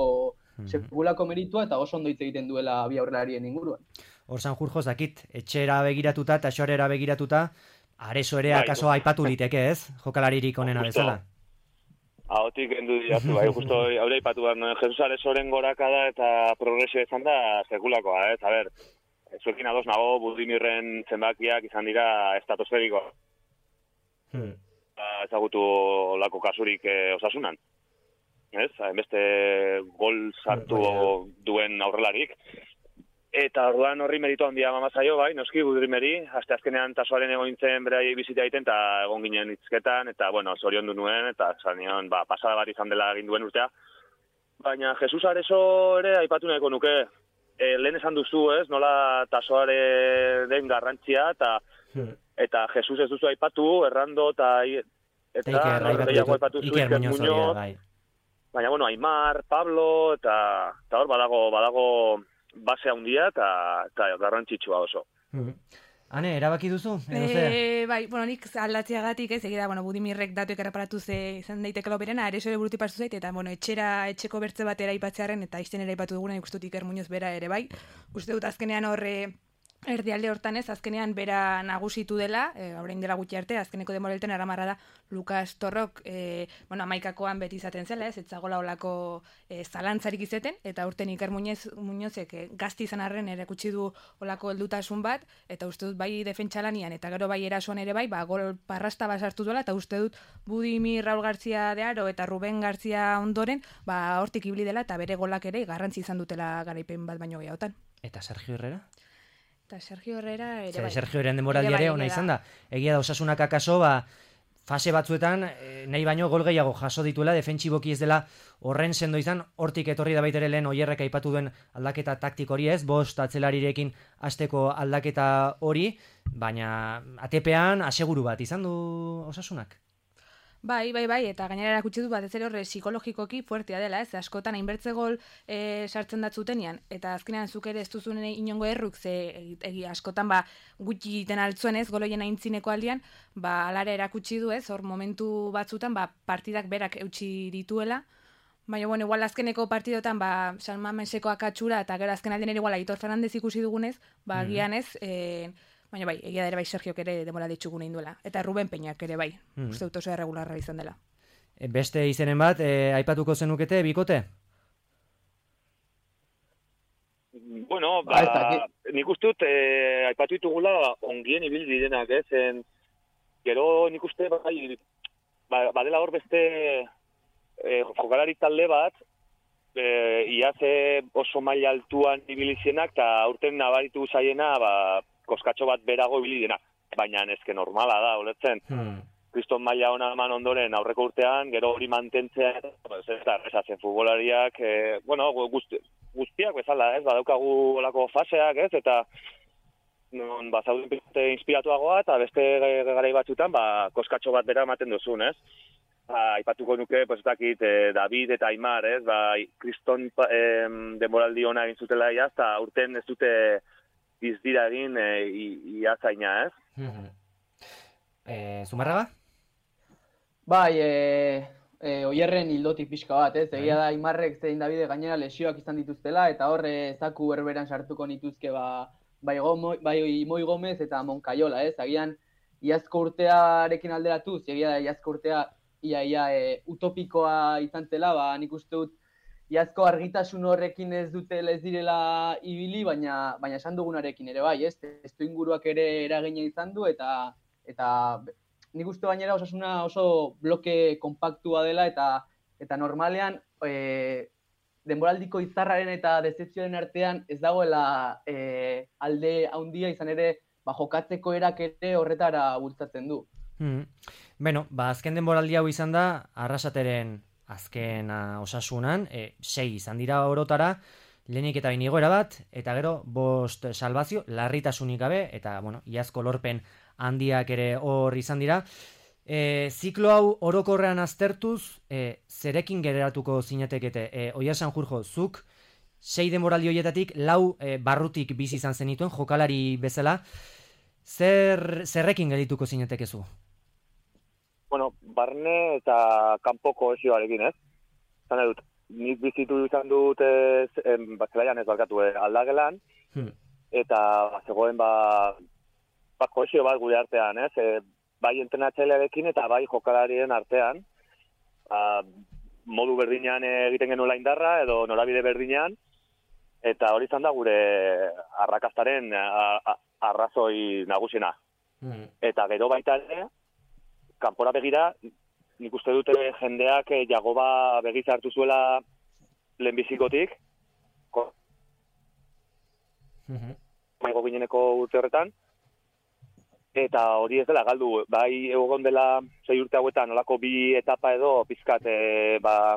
mm-hmm. sekulako meritua, eta oso ondo hitz egiten duela bi aurrelarien inguruan. Hor Sanjurjo zakit, etxera begiratuta eta xoarera begiratuta, Areso ere akaso aipatu liteke ez, jokalaririk onena bezala. Ahotik endu diatu, bai, justo haure aipatu behar, no? Jesus Aresoren gorakada eta progresio izan da sekulakoa, ez, a ber, zuekin ados nago Budimirren zenbakiak izan dira estratosferiko. Hmm. Ezagutu lako kasurik eh, Osasunan. Ez, hainbeste gol sartu hmm. duen aurrelarik. Eta orduan horri meritu handia mamazaio, bai, noski Budimeri, aste azkenean tasoaren egon nintzen berai bizita egiten, eta egon ginen hitzketan, eta, bueno, zorion du nuen, eta zanion, ba, pasada bat izan dela egin duen urtea. Baina Jesus Areso ere aipatu nahiko nuke, e, lehen esan duzu, ez, nola tasoare den garrantzia, eta hmm. eta Jesus ez duzu aipatu, errando, eta eta gehiago aipatu zu, Iker Muñoz, baina, bueno, Aimar, Pablo, eta, eta hor badago, badago, base handia eta eta garrantzitsua oso. Mm. Ane, erabaki duzu? E, bai, bueno, nik aldatziagatik ez, egida, bueno, Budimirrek datuek erreparatu ze izan daiteke loperena, Areso ere buruti pastu zait, eta, bueno, etxera, etxeko bertze batera aipatzearen, eta izten ere aipatu duguna, ikustut Iker Muñoz bera ere bai. Uste dut azkenean horre erdialde hortan ez, azkenean bera nagusitu dela, e, orain dela gutxi arte, azkeneko demorelten aramarra da Lukas Torrok, e, bueno, amaikakoan beti izaten zela, ez, etzagola olako e, zalantzarik izeten, eta urten Iker Muñoz, Muñozek e, gazti izan arren erakutsi du olako heldutasun bat, eta uste dut bai defentsalanian, eta gero bai erasoan ere bai, ba, gol parrasta bat sartu duela, eta uste dut Budimir Raul García de Aro eta Ruben García ondoren, ba, hortik ibili dela, eta bere golak ere garrantzi izan dutela garaipen bat baino gehiagotan. Eta Sergio Herrera? Eta Sergio Herrera ere Zer, bai. Sergio Herrera demoraldi ere ona izan da. Egia da Osasunak akaso, ba, fase batzuetan eh, nahi baino gol gehiago jaso dituela, defentsiboki ez dela horren sendo izan, hortik etorri da baitere lehen Oierrek aipatu duen aldaketa taktik hori ez, bost atzelarirekin hasteko aldaketa hori, baina atepean aseguru bat izan du Osasunak. Bai, bai, bai, eta gainera erakutsi du batez ere horre psikologikoki fuertea dela, ez, askotan hainbertze gol e, sartzen datzutenean, eta azkenean zuk ere ez duzun inongo erruk, ze egi askotan ba gutxi egiten altzuen ez, goloien aintzineko aldian, ba alare erakutsi du ez, hor momentu batzutan ba partidak berak eutsi dituela, baina bueno, igual azkeneko partidotan ba San Mameseko akatxura, eta gero azken aldean ere igual Aitor Fernandez ikusi dugunez, ba Mhm. gian ez, e, baina bai, egia da ere bai Sergiok ere demora ditxugun egin duela. Eta Ruben Peñak ere bai, Mhm. uste dut oso erregularra izan dela. E, Beste izenen bat, e, aipatuko zenukete, bikote? Bueno, Ba, ez ba, dakit. nik uste dut, eh, aipatu ditugula ongien ibil direnak, ez? En, gero nik uste, bai, ba, badela hor beste eh, jokalari talde bat, eh, iaz oso maila altuan ibilizienak, eta aurten nabaritu zaiena, ba, koskatxo bat berago ibili dena. Baina ezke normala da, ulertzen. Hmm. Kriston maila ona eman ondoren aurreko urtean, gero hori mantentzea, ez da, errezatzen futbolariak, eh, bueno, guzti, guztiak bezala, ez, badaukagu olako faseak, ez, eta non, ba, zauden pizte inspiratuagoa, eta beste garai batzutan, ba, koskatxo bat bera ematen duzun, ez. Ba, aipatuko nuke, pues, dakit, eh, David eta Aimar, ez, ba, Kriston eh, denboraldi ona egin zutela iaz, eta urten ez dute dizdira egin eh, iazaina, ez. Mhm. E, Zumarraga? Bai, e, e, Oierren hildotik pixka bat, ez? Egia da Aimarrek zein Davide gainera lesioak izan dituztela, eta horre zaku berberan sartuko nituzke ba, bai, Gomo, bai Moi Gomez eta Moncayola, ez? Agian, iazko urtearekin alderatuz, egia da iazko urtea ia, ia e, utopikoa izan zela, ba, nik uste dut iazko argitasun horrekin ez dutela ez direla ibili, baina baina esan dugunarekin ere bai, ez? Testu inguruak ere eragina izan du, eta eta nik uste gainera Osasuna oso bloke konpaktua dela, eta eta normalean e, denboraldiko izarraren eta dezepzioaren artean ez dagoela e, alde handia izan ere, ba, jokatzeko erak ere horretara bultzatzen du. Hmm. Beno, ba, azken denboraldi hau izan da, Arrasateren azken uh, Osasunan, e, sei izan dira orotara, lehenik eta bain igoera bat, eta gero bost salbazio, larritasunik gabe, eta, bueno, iazko lorpen handiak ere hor izan dira. E, ziklo hau orokorrean aztertuz, e, zerekin geratuko zinatekete? E, Oier Sanjurjo, zuk sei denboraldi horietatik lau e, barrutik bizi izan zenituen, jokalari bezala, zer, zerrekin gerituko zinatekezu? Bueno, barne eta kanpoko esioarekin, ez? Zan dut, nik bizitu izan dut ez, em, Zelaian ez barkatu, eh, Aldagelan, Hmm. eta zegoen ba, ba kohesio bat gure artean, ez? E, bai entrenatzailearekin eta bai jokalarien artean, ba, modu berdinean egiten genuela indarra edo norabide berdinean, eta hori izan da gure arrakastaren a, a, arrazoi nagusiena. Hmm. Eta gero baita ere, kanpora begira, nik uste dute jendeak eh, Jagoba begiz hartu zuela lehenbizikotik, Mhm. maigo gineneko urte horretan, eta hori ez dela galdu, bai egon dela sei urte hauetan, nolako bi etapa edo pizkat, e, ba,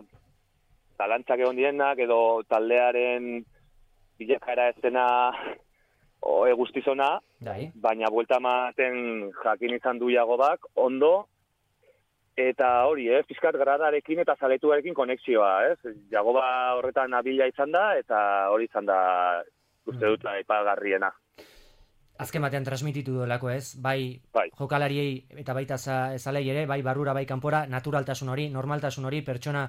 talantzak egon dienak, edo taldearen bilakaera ez dena o, e, guztizona, Dai. baina buelta ematen jakin izan du Jagobak, ondo, eta hori, eh, pizkat gradarekin eta zaletuarekin konexioa, ez? Jagoba horretan abila izan da, eta hori izan da, uste dut, aipagarriena. Azken batean transmititu duelako, ez? Bai, Bai. jokalariei eta baita za- zalei ere, bai barrura, bai kanpora, naturaltasun hori, normaltasun hori, pertsona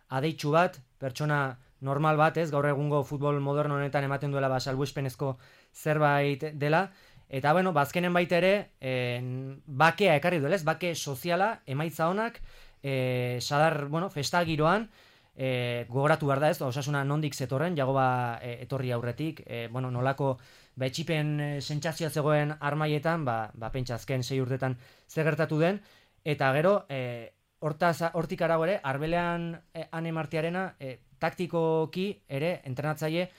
adeitsu bat, pertsona normal bat, ez, gaur egungo futbol moderno honetan ematen duela ba, salbuespenezko zerbait dela, eta bueno, bazkenen baita ere, en, bakea ekarri duela, ez, bake soziala, emaitza honak, e, sadar, bueno, festa giroan, e, gogoratu behar da ez, Osasuna nondik zetorren, Jagoba e, etorri aurretik, e, bueno, nolako ba, etxipen e, sentsazioa zegoen armaietan, ba, ba pentsa azken sei urtetan zer gertatu den, eta gero, e, hortaz, hortik arago ere, Arbelean e, Ane Martiarena, e, taktikoki ere, entrenatzaile,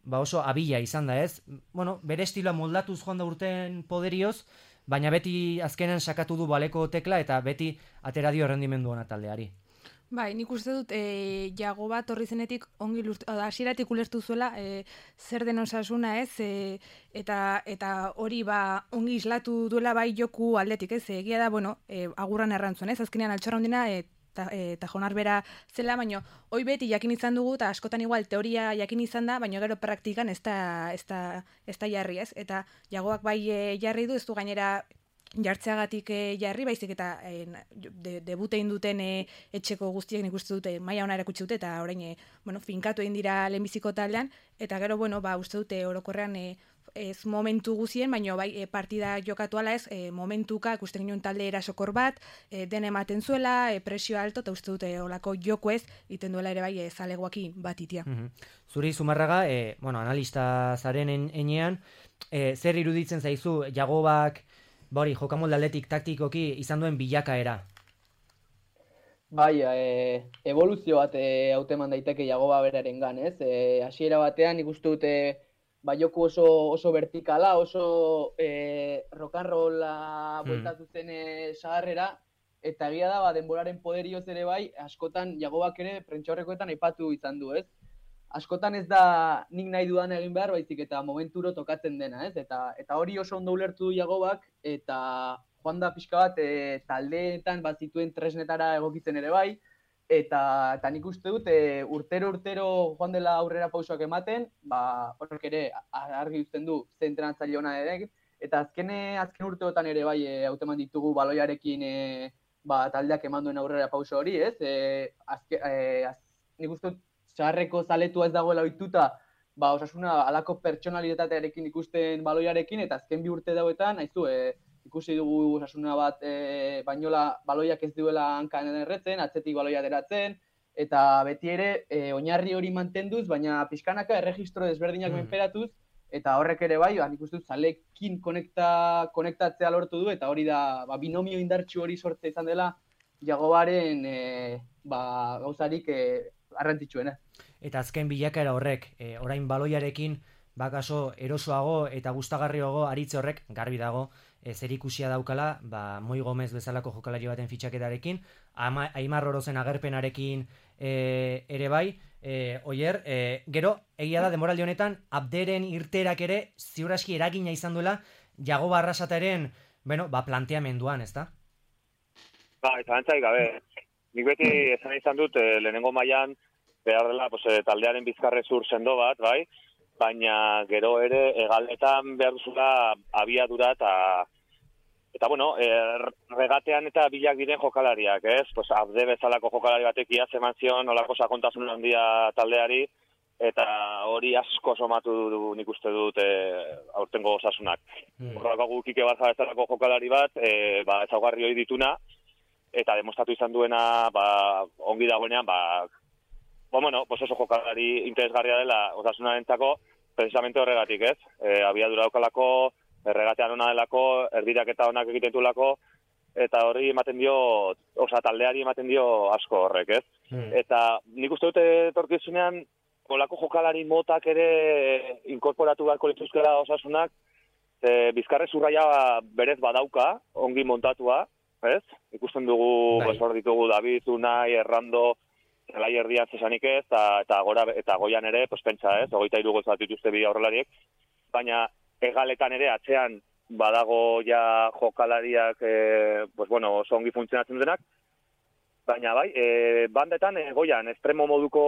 ba oso abila izan da ez, bueno, bere estiloa moldatuz joan da urten poderioz, baina beti azkenen sakatu du baleko tekla eta beti atera dio errendimendu ona taldeari. Bai, nik uste dut e, Jagoba torri zenetik ongi hasieratik ulertu zuela e, zer den Osasuna ez, e, eta eta hori ba ongi islatu duela bai joku aldetik ez, egia da, bueno, e, agurran errantzun ez, azkenean altxorra hondina e, eta e, Jonar bera zela, baino hoi beti jakin izan dugu, eta askotan igual teoria jakin izan da, baino gero praktikan ez da, ez da, ez da jarri ez, eta Jagoak bai e, jarri du, ez du gainera jartzeagatik e, jarri, baizik eta e, de, debutein duten e, etxeko guztiek nik uste dute maila ona erakutsi dute, eta orain e, bueno, finkatu egin dira lehenbiziko taldean, eta gero bueno, ba, uste dute orokorrean e, ez momentu guzien, baina bai e, partida jokatu ala ez, e, momentuka ikusten ginen talde erasokor bat, e, den ematen zuela, e, presio alto, eta uste dute olako joko ez, iten duela ere bai e, zalegoakin bat itia. Mm-hmm. Zuri Zumarraga, e, bueno, analista zaren enean, e, zer iruditzen zaizu Jagobak, bori, jokamolde atletik taktikoki izan duen bilakaera? Bai, e, evoluzio bat e, hauteman daiteke Jagoba beraren gan, ez? E, hasiera batean ikustu dute ba, joku oso, oso vertikala, oso e, rock'n'rolla bueltatu zen e, sagarrera, eta egia da, ba, denboraren poderioz ere bai, askotan Jagobak ere prentxaurrekoetan aipatu izan du, ez? Askotan ez da nik nahi dudan egin behar, baizik eta momenturo tokatzen dena, ez? Eta, eta hori oso ondo ulertu du Jagobak, eta joan da pixka bat e, taldeetan bat zituen tresnetara egokitzen ere bai, eta, eta nik uste dut e, urtero urtero joan dela aurrera pausoak ematen, ba, horrek ere argi uzten du ze entrenatzaile ona ere, eta azkene, azken urteotan ere bai e, hauteman ditugu baloiarekin e, ba, taldeak eman duen aurrera pauso hori, ez? E, azke, e, az, nik uste dut zaharreko zaletua ez dagoela ohituta, ba, Osasuna alako pertsonalitatearekin ikusten baloiarekin, eta azken bi urte dauetan, haizu, e, ikusi dugu Osasuna bat e, bainola baloiak ez duela hankan erretzen, atzetik baloia deratzen, eta beti ere e, oinarri hori mantenduz, baina pixkanaka erregistro desberdinak mm. menperatuz, eta horrek ere bai, ba, nik uste dut zalekin konekta, konektatzea lortu du, eta hori da ba, binomio indartsu hori sortze izan dela Jagobaren e, ba, gauzarik e, arrantzitsuena. Eta azken bilakaera horrek, e, orain baloiarekin bakaso erosoago eta gustagarriago aritze horrek garbi dago e, zerikusia daukala, ba, Moi Gomez bezalako jokalari baten fitxaketarekin, Ama, Aimar Orozen agerpenarekin e, ere bai, e, oier, e, gero, egia da demoraldi honetan, Abderen irterak ere ziuraski eragina izan duela Jagoba Arrasataren, bueno, ba, planteamenduan, ezta? Ba, eta antzaik, gabe, nik beti esan izan dut, eh, lehenengo mailan behar dela pues, eh, taldearen bizkarrezur sendo bat, bai, baina gero ere egaletan behar duzula abiadura eta eta bueno, eh, regatean eta bilak diren jokalariak, ez? Pues, Abde bezalako jokalari batek iaz eman zion olako sakontasun handia taldeari, eta hori asko somatu du, nik uste dut e, aurtengo Osasunak. Mm. Horrako gukike barza bezalako jokalari bat, e, ba, ezaugarri hori dituna, eta demostratu izan duena ba, ongi dagoenean, ba, ba, bueno, pues oso jokalari interesgarria dela Osasunarentzako, precisamente horregatik, ez? E, abiadura daukalako, erregatean ona delako, erdiraketa onak egiten duelako, eta hori ematen dio, osa taldeari ematen dio asko horrek, ez? Mm. Eta nik uste dute etorkizunean, olako jokalari motak ere inkorporatu beharko lituzkela Osasunak, e, bizkarre zurraia berez badauka, ongi montatua, ez? Ikusten dugu, hor ditugu David, Unai, Errando, zelai erdian zesanik ez, eta, eta, gora, eta goian ere, pues, pentsa, ez? Ogeita irugoz bat dituzte bi aurrelariek, baina egaletan ere atzean badago ja jokalariak, e, pues, bueno, oso ongi funtzionatzen denak, baina bai, e, bandetan e, goian, estremo moduko,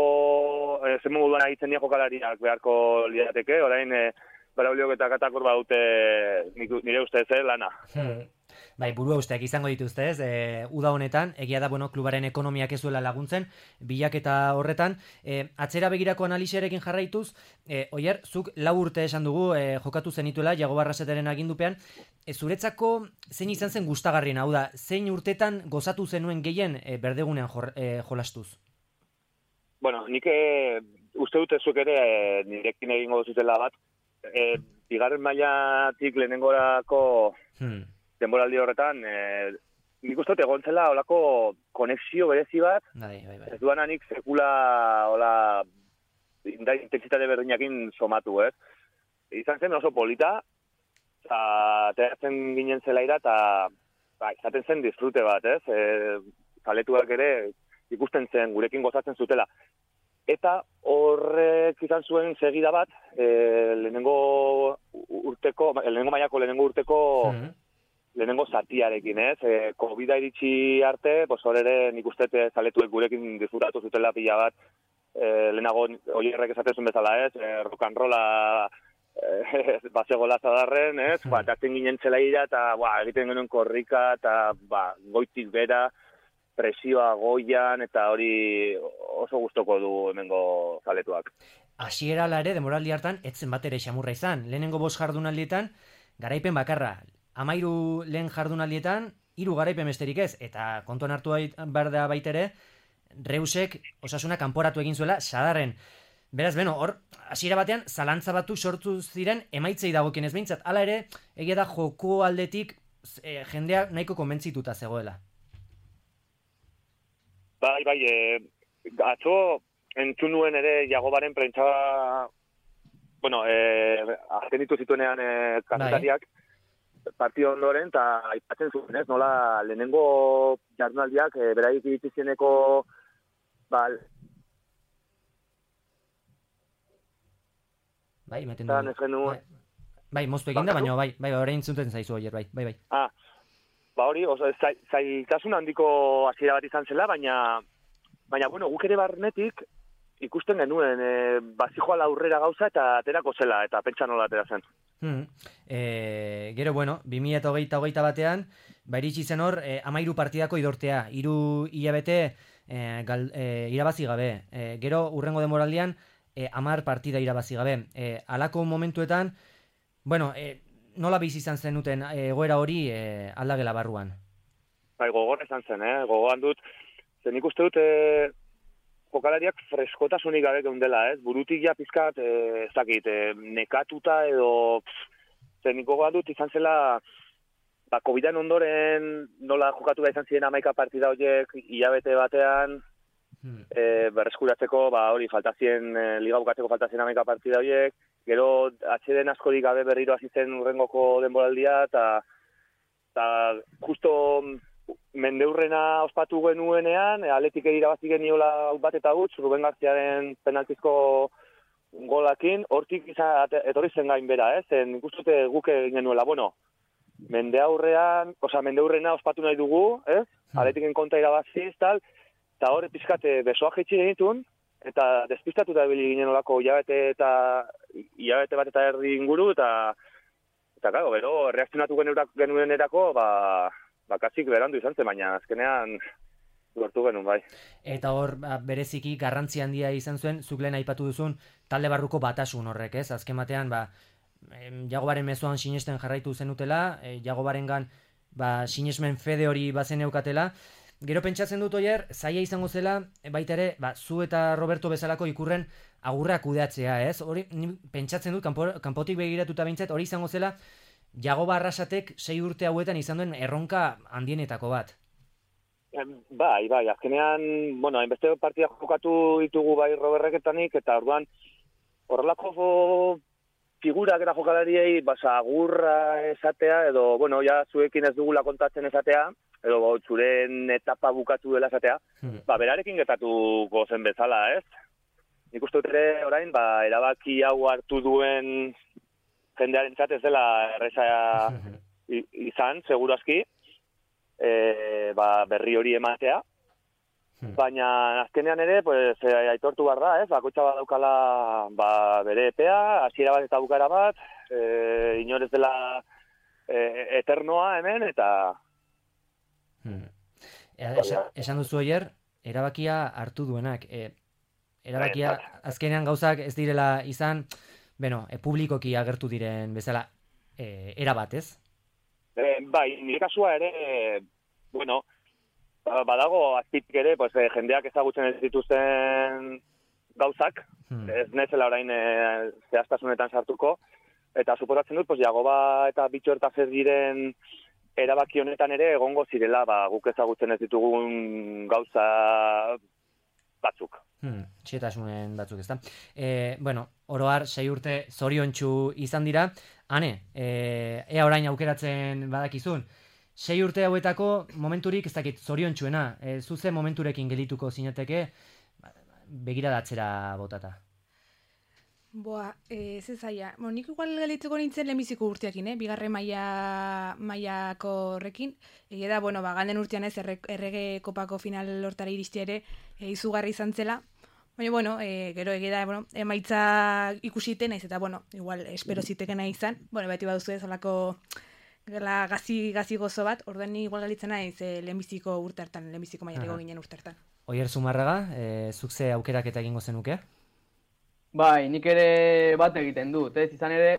estremo moduan egiten dira jokalariak beharko lirateke, orain e, Brauliok eta Katakor badute nire ustez, eh, lana. Hmm. Bai, burua usteak izango dituzte, ez? E, uda honetan, egia da, bueno, klubaren ekonomiak ez duela laguntzen, bilaketa horretan. E, atzera begirako analisearekin jarraituz, e, Oier, zuk lau urte esan dugu, e, jokatu zenituela, Jago Barrasetaren agindupean, e, zuretzako zein izan zen gustagarrien, hau da, zein urtetan gozatu zenuen gehien e, berdegunean jor, e, jolastuz? Bueno, nik e, uste dute zuek ere e, nirekin egingo zutela bat, e, bigarren mailatik lehenengorako hmm. denboraldi horretan, e, nik uste dut egon zela olako konexio berezi bat, bai, bai, bai. ez duan anik sekula ola, intensitate berdinakin somatu, ez? Izan zen oso polita, eta teratzen ginen zelaira, eta ba, izaten zen disfrute bat, ez? E, zaletuak ere ikusten zen, gurekin gozatzen zutela. Eta horrek izan zuen segida bat, e, lehenengo urteko, lehenengo mailako lehenengo urteko mm-hmm. lehenengo zatiarekin, ez? E, Covida iritsi arte, pues hor ere nik uste zaletuek gurekin disfrutatu zutela pila bat, e, lehenago Oierrek esaten zuen bezala, ez? E, rock and rolla e, basegola zadarren, ez? Mm-hmm. Ba, tatzen ginen zelaira, eta ba, egiten genuen korrika, eta ba, goitik bera, presioa goian, eta hori oso gustoko du hemengo zaletuak. Hasiera ala ere, demoraldi hartan, etzen bat ere xamurra izan. Lehenengo bost jardunaldietan, garaipen bakarra. Amairu lehen jardunaldietan, hiru garaipen besterik ez. Eta kontuan hartu behar da baitere, Reusek Osasuna kanporatu egin zuela Sadarren. Beraz, beno, hor, hasiera batean, zalantza batu sortu ziren emaitzei dagokienez behintzat. Hala ere, egia da joko aldetik e, jendea nahiko konbentzituta zegoela. Bai, bai, e, atzo entzun nuen ere Jagobaren prentsa, bueno, e, azken ditu zituenean e, kazetariak, bai. Partio ondoren, eta aipatzen zuen, ez, nola lehenengo jardunaldiak, e, beraik iritzizeneko, bal... Bai, meten du. Bai, bai moztu eginda, baina bai, bai, orain zuten zaizu Oier, bai, bai, bai. Ah, ba hori, oso, zailtasun handiko hasiera bat izan zela, baina, baina, bueno, guk ere barnetik ikusten genuen, e, bazijoala aurrera gauza eta aterako zela, eta pentsa nola atera zen. Hmm. E, gero, bueno, bi mila hogeita hogeita batean, ba iritsi zen hor, e, amairu partidako idortea, hiru hilabete e, gal, e, irabazi gabe. E, gero, urrengo demoraldian, e, amar partida irabazi gabe. E, alako momentuetan, bueno, e, nola bizi izan zenuten egoera hori e, aldagela barruan? Bai, gogor izan zen, eh? Gogoan dut, zen ikuste dut e, jokalariak freskotasunik gabe geundela, ez? Burutik ja pizkat, e, ez dakit, e, nekatuta edo, zen gogoan dut izan zela, ba, Covidan ondoren nola jokatu da izan ziren hamaika partida horiek hilabete batean, hmm. e, berreskuratzeko, ba, hori, faltazien, e, liga bukatzeko faltazien hamaika partida horiek, gero atxeden askorik gabe berriro hasi zen urrengoko denboraldia, eta justo mendeurrena ospatu genuenean, Atletik irabazi geniola bat eta huts, Ruben Garziaren penaltizko golakin, hortik izan, etorri zen gain bera, ez? Eh? Nik uste guk egin genuela, bueno, mende aurrean, oza, mendeurrena ospatu nahi dugu, ez? Atletiken konta irabaziz, tal, eta hor pizkate besoa jaitsi genitun, eta despistatuta ebili ginen olako hilabete eta hilabete bat eta erdi inguru, eta eta claro, gero reakzionatu genuen erako, ba, bakasik berandu izan zen, baina azkenean lortu genuen, bai. Eta hor, bereziki garrantzi handia izan zuen, zuk lehen aipatu duzun, talde barruko batasun horrek, ez? Azken batean, ba, Jagobaren mezuan sinesten jarraitu zenutela, e, Jagobarengan ba, sinesmen fede hori bazen eukatela. Gero pentsatzen dut Oier, zaila izango zela, baita ere, ba, zu eta Roberto bezalako ikurren agurra kudeatzea, ez? Hori, pentsatzen dut, kanpo, kanpotik begiratuta behintzat, hori izango zela, Jagoba Arrasatek sei urte hauetan izan duen erronka handienetako bat. Bai, bai, azkenean, bueno, hainbeste partida jokatu ditugu bai Roberreketanik, eta orduan, horrelako figurak eta jokalariei, basa, agurra esatea, edo, bueno, ja, zuekin ez dugula kontatzen esatea, edo zuren etapa bukatu dela esatea, hmm. ba, berarekin getatu gozen bezala, ez? Nik uste dut ere, orain, ba, erabaki hau hartu duen jendearen ez dela erreza izan, seguru aski, e, ba, berri hori ematea, hmm. baina azkenean ere, pues, e, aitortu behar da, ez? Bakoitza bat daukala ba, bere epea, hasiera bat eta bukara bat, e, inorez dela e, eternoa hemen, eta Hmm. Esa, esan duzu oier, erabakia hartu duenak. E, erabakia, azkenean gauzak ez direla izan, bueno, e, publikoki agertu diren bezala, e, erabat, ez? E, bai, nire kasua ere, e, bueno, badago azpitik ere, pues, e, jendeak ezagutzen ez dituzten gauzak, hmm. ez nezela orain e, zehaztasunetan sartuko, eta suposatzen dut, pues, Jagoba eta Bitxorta zer diren erabaki honetan ere egongo zirela, ba, guk ezagutzen ez ditugun gauza batzuk. Hmm, txetasunen batzuk, ezta? E, bueno, oroar, sei urte zoriontsu izan dira. Hane, e, ea orain aukeratzen badakizun, sei urte hauetako momenturik ez dakit zoriontsuena, e, zuze momenturekin gelituko zinateke, begiradatzera botata. Boa, eh, ez zaila. Bueno, nik igual galitzeko nintzen lehenbiziko urteakin, eh? Bigarren maila mailako horrekin. Egia da, bueno, ba, galden urtean ez, erre, errege kopako final lortara iristea ere e, izugarri izan zela. Baina, bueno, e, gero egia da, bueno, emaitza ikusite naiz, eta, bueno, igual, espero zitekena izan. Bueno, beti baduzu ez, olako gela gazi, gazi gozo bat, orduan ni igual galitzen naiz e, lehenbiziko urte hartan, lehenbiziko mailako ginen urte hartan. Oier Zumarraga, e, zuk ze aukeraketa egingo zenuke? Bai, nik ere bat egiten dut, ez? Izan ere,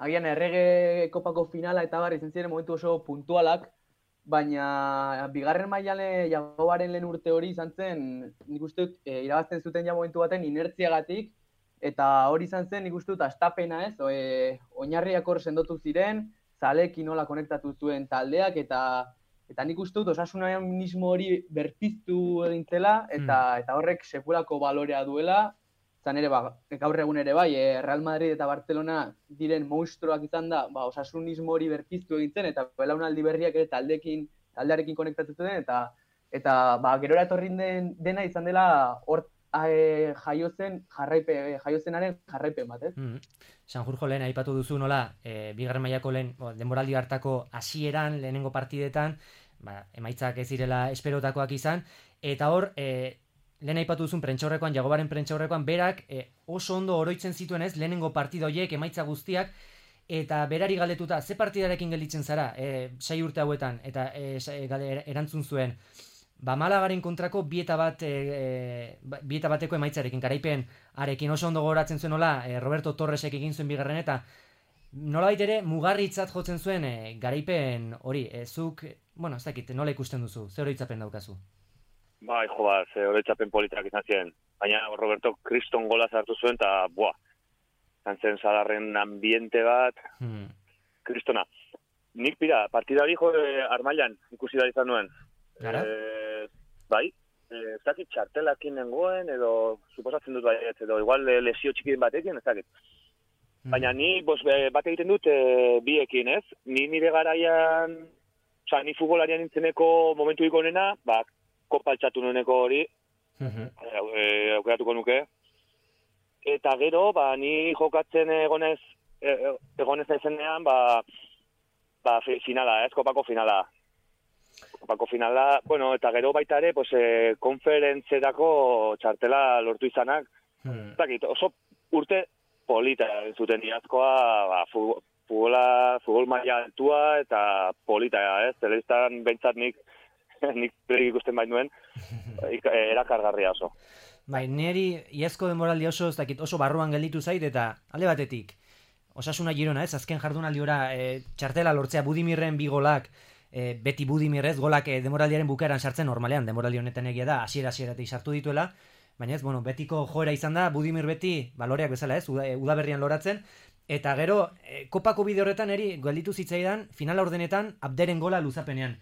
agian errege kopako finala eta bar izan ziren momentu oso puntualak, baina bigarren mailan Jagobaren lehen urte hori izan zen, nik uste dut, e, irabazten zuten ja momentu baten inertziagatik, eta hori izan zen, nik uste dut, astapena ez, o, e, oinarriak hor sendotu ziren, zalekin nola konektatu zuen taldeak, eta eta nik uste dut, osasunismo hori berpiztu egin zela, eta, mm. eta horrek sekulako balorea duela. Zan ere, ba, gaur egun ere bai, eh, Real Madrid eta Barcelona diren monstruoak izan da, ba, osasunismo hori berpiztu egintzen, eta belaunaldi berriak ere taldekin, taldearekin konektatu den, eta eta ba, gerora etorri den, dena izan dela hor e, jaiozen jarraipe, jaiozenaren jarraipen bat, ez? Mm. Sanjurjo lehen aipatu duzu nola, e, bigarren mailako lehen, denboraldi hartako hasieran lehenengo partidetan, ba, emaitzak ez direla esperotakoak izan, eta hor, e, lehen aipatu duzun prentxaurrekoan, Jagobaren prentxaurrekoan, berak e, oso ondo oroitzen zituen ez, lehenengo partida horiek, emaitza guztiak, eta berari galdetuta, ze partidarekin gelditzen zara, e, sei urte hauetan, eta e, erantzun zuen, ba Malagaren kontrako bieta bat, e, bieta bateko emaitzarekin, garaipen arekin oso ondo gogoratzen zuen nola, e, Roberto Torresek egin zuen bigarren, eta nolabait ere mugarritzat jotzen zuen e, garaipen hori, e, zuk, bueno, ez dakit, nola ikusten duzu, ze oroitzapen daukazu? Bai, jo, ba, ze oroitzapen politak izan ziren. Baina Roberto kriston gola zartu zuen, eta, buah, zantzen Sadarren ambiente bat, hmm. kristona. Nik, pira, partida hori jo, eh, Armailan ikusi da izan nuen. Gara? Eh, bai, ez dakit txartelakin nengoen, edo, suposatzen dut baiet, edo igual lesio txikin batekin, ez dakit. Hmm. Baina ni, bos, bat egiten dut e, biekin, ez? Ni nire garaian, oza, ni futbolarian nintzeneko momentu ikonena, ba, kopa altxatu nueneko hori, uh-huh. e, aukeratuko nuke. Eta gero, ba, ni jokatzen egonez, e, egonez naizenean, ba, ba, finala, ez, kopako finala. Kopako finala, bueno, eta gero baita ere, pues, e, konferentzerako txartela lortu izanak. Hmm. Zakit, oso urte polita zuten iazkoa, ba, futbola, futbol maila altua eta polita, ez, telebistan behintzat nik nik berik ikusten bain duen, erakargarria oso. Bai, niri iazko denboraldi oso, ez dakit, oso barruan gelditu zait, eta alde batetik, Osasuna Girona, ez, azken jardunaldiora e, txartela lortzea Budimirren bi golak, e, beti Budimirrez, golak e, denboraldiaren bukaeran sartzen normalean, denboraldi honetan egia da, hasiera-hasieratik sartu dituela, baina ez, bueno, betiko joera izan da, Budimir beti, baloreak bezala ez, udaberrian loratzen, eta gero, e, kopako bide horretan eri gelditu zitzaidan, finala ordenetan, Abderen gola luzapenean.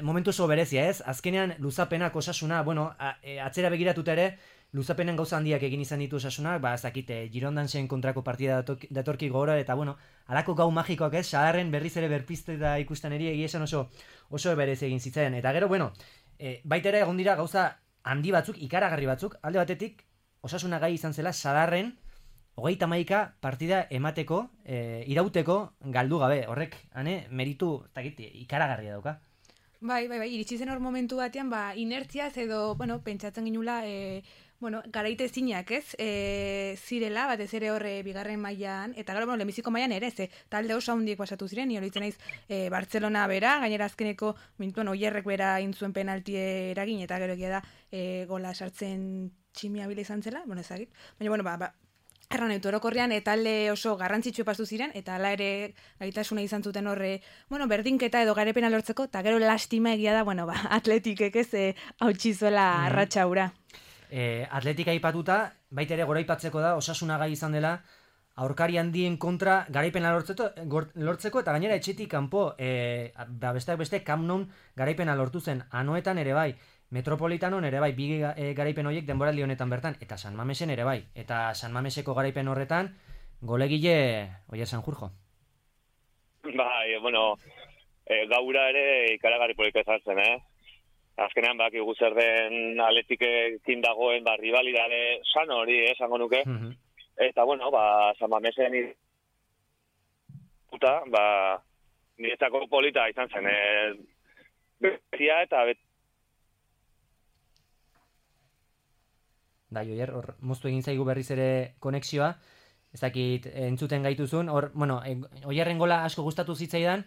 Momentu oso berezia, ez? Azkenean luzapenak Osasuna, bueno, a, e, atzera begiratuta ere, luzapenen gauza handiak egin izan ditu Osasunak, ba, zakite, Girondansen kontrako partida datorki gora, eta bueno, alako gau magikoak ez, Sadarren berriz ere berpizte da ikusten eri, egia esan oso, oso berez egin zitzen. Eta gero, bueno, e, baita ere egon dira gauza handi batzuk, ikaragarri batzuk, alde batetik, Osasuna gai izan zela Sadarren, hogeita hamaika partida emateko, e, irauteko galdu gabe, horrek, hane, meritu, takit, ikaragarria dauka. Bai, bai, bai, iritsi zen hor momentu batean, ba, inertziaz edo, bueno, pentsatzen ginula, e, bueno, garaite zinak, ez? E, zirela, batez ere horre bigarren mailan eta gero, bueno, lehenbiziko mailan ere, ze talde oso handiek pasatu ziren, ni horitzen naiz e, Bartzelona bera, gainera azkeneko mintuan oierrek bera intzuen penaltie eragin, eta gero egia da e, gola sartzen tximia bila izan zela, bueno, ezagit. Baina, bueno, ba, ba erran eutu orokorrean, talde oso garrantzitsu pastu ziren, eta hala ere gaitasuna izan zuten horre, bueno, berdinketa edo garepena lortzeko, eta gero lastima egia da, bueno, ba, atletikek ez e, hautsi zuela mm. arratsaura. E, atletika aipatuta, baita ere goraipatzeko da, Osasuna gai izan dela, aurkari handien kontra garaipena lortzeko, lortzeko eta gainera etxetik kanpo, e, ba, besteak beste Camp Nou garaipena lortu zen, Anoetan ere bai, Metropolitanon ere bai, bi e, garaipen horiek denboraldi honetan bertan, eta San Mamesen ere bai, eta San Mameseko garaipen horretan, golegile Oier Sanjurjo. Bai, bueno, e, gaura ere ikaragarri polika izan zen, eh? Azkenean bakigu zer den Atleticekin dagoen ba, rivalidade sano hori, eh, esango nuke. Mm-hmm. Eta, bueno, ba, San Mamesen puta, ba, niretzako polita izan zen, eh? Betia eta bet... Da, Oier, hor moztu egin zaigu berriz ere konexioa, ez dakit entzuten gaituzun, hor, bueno, Oierren gola asko gustatu zitzaidan,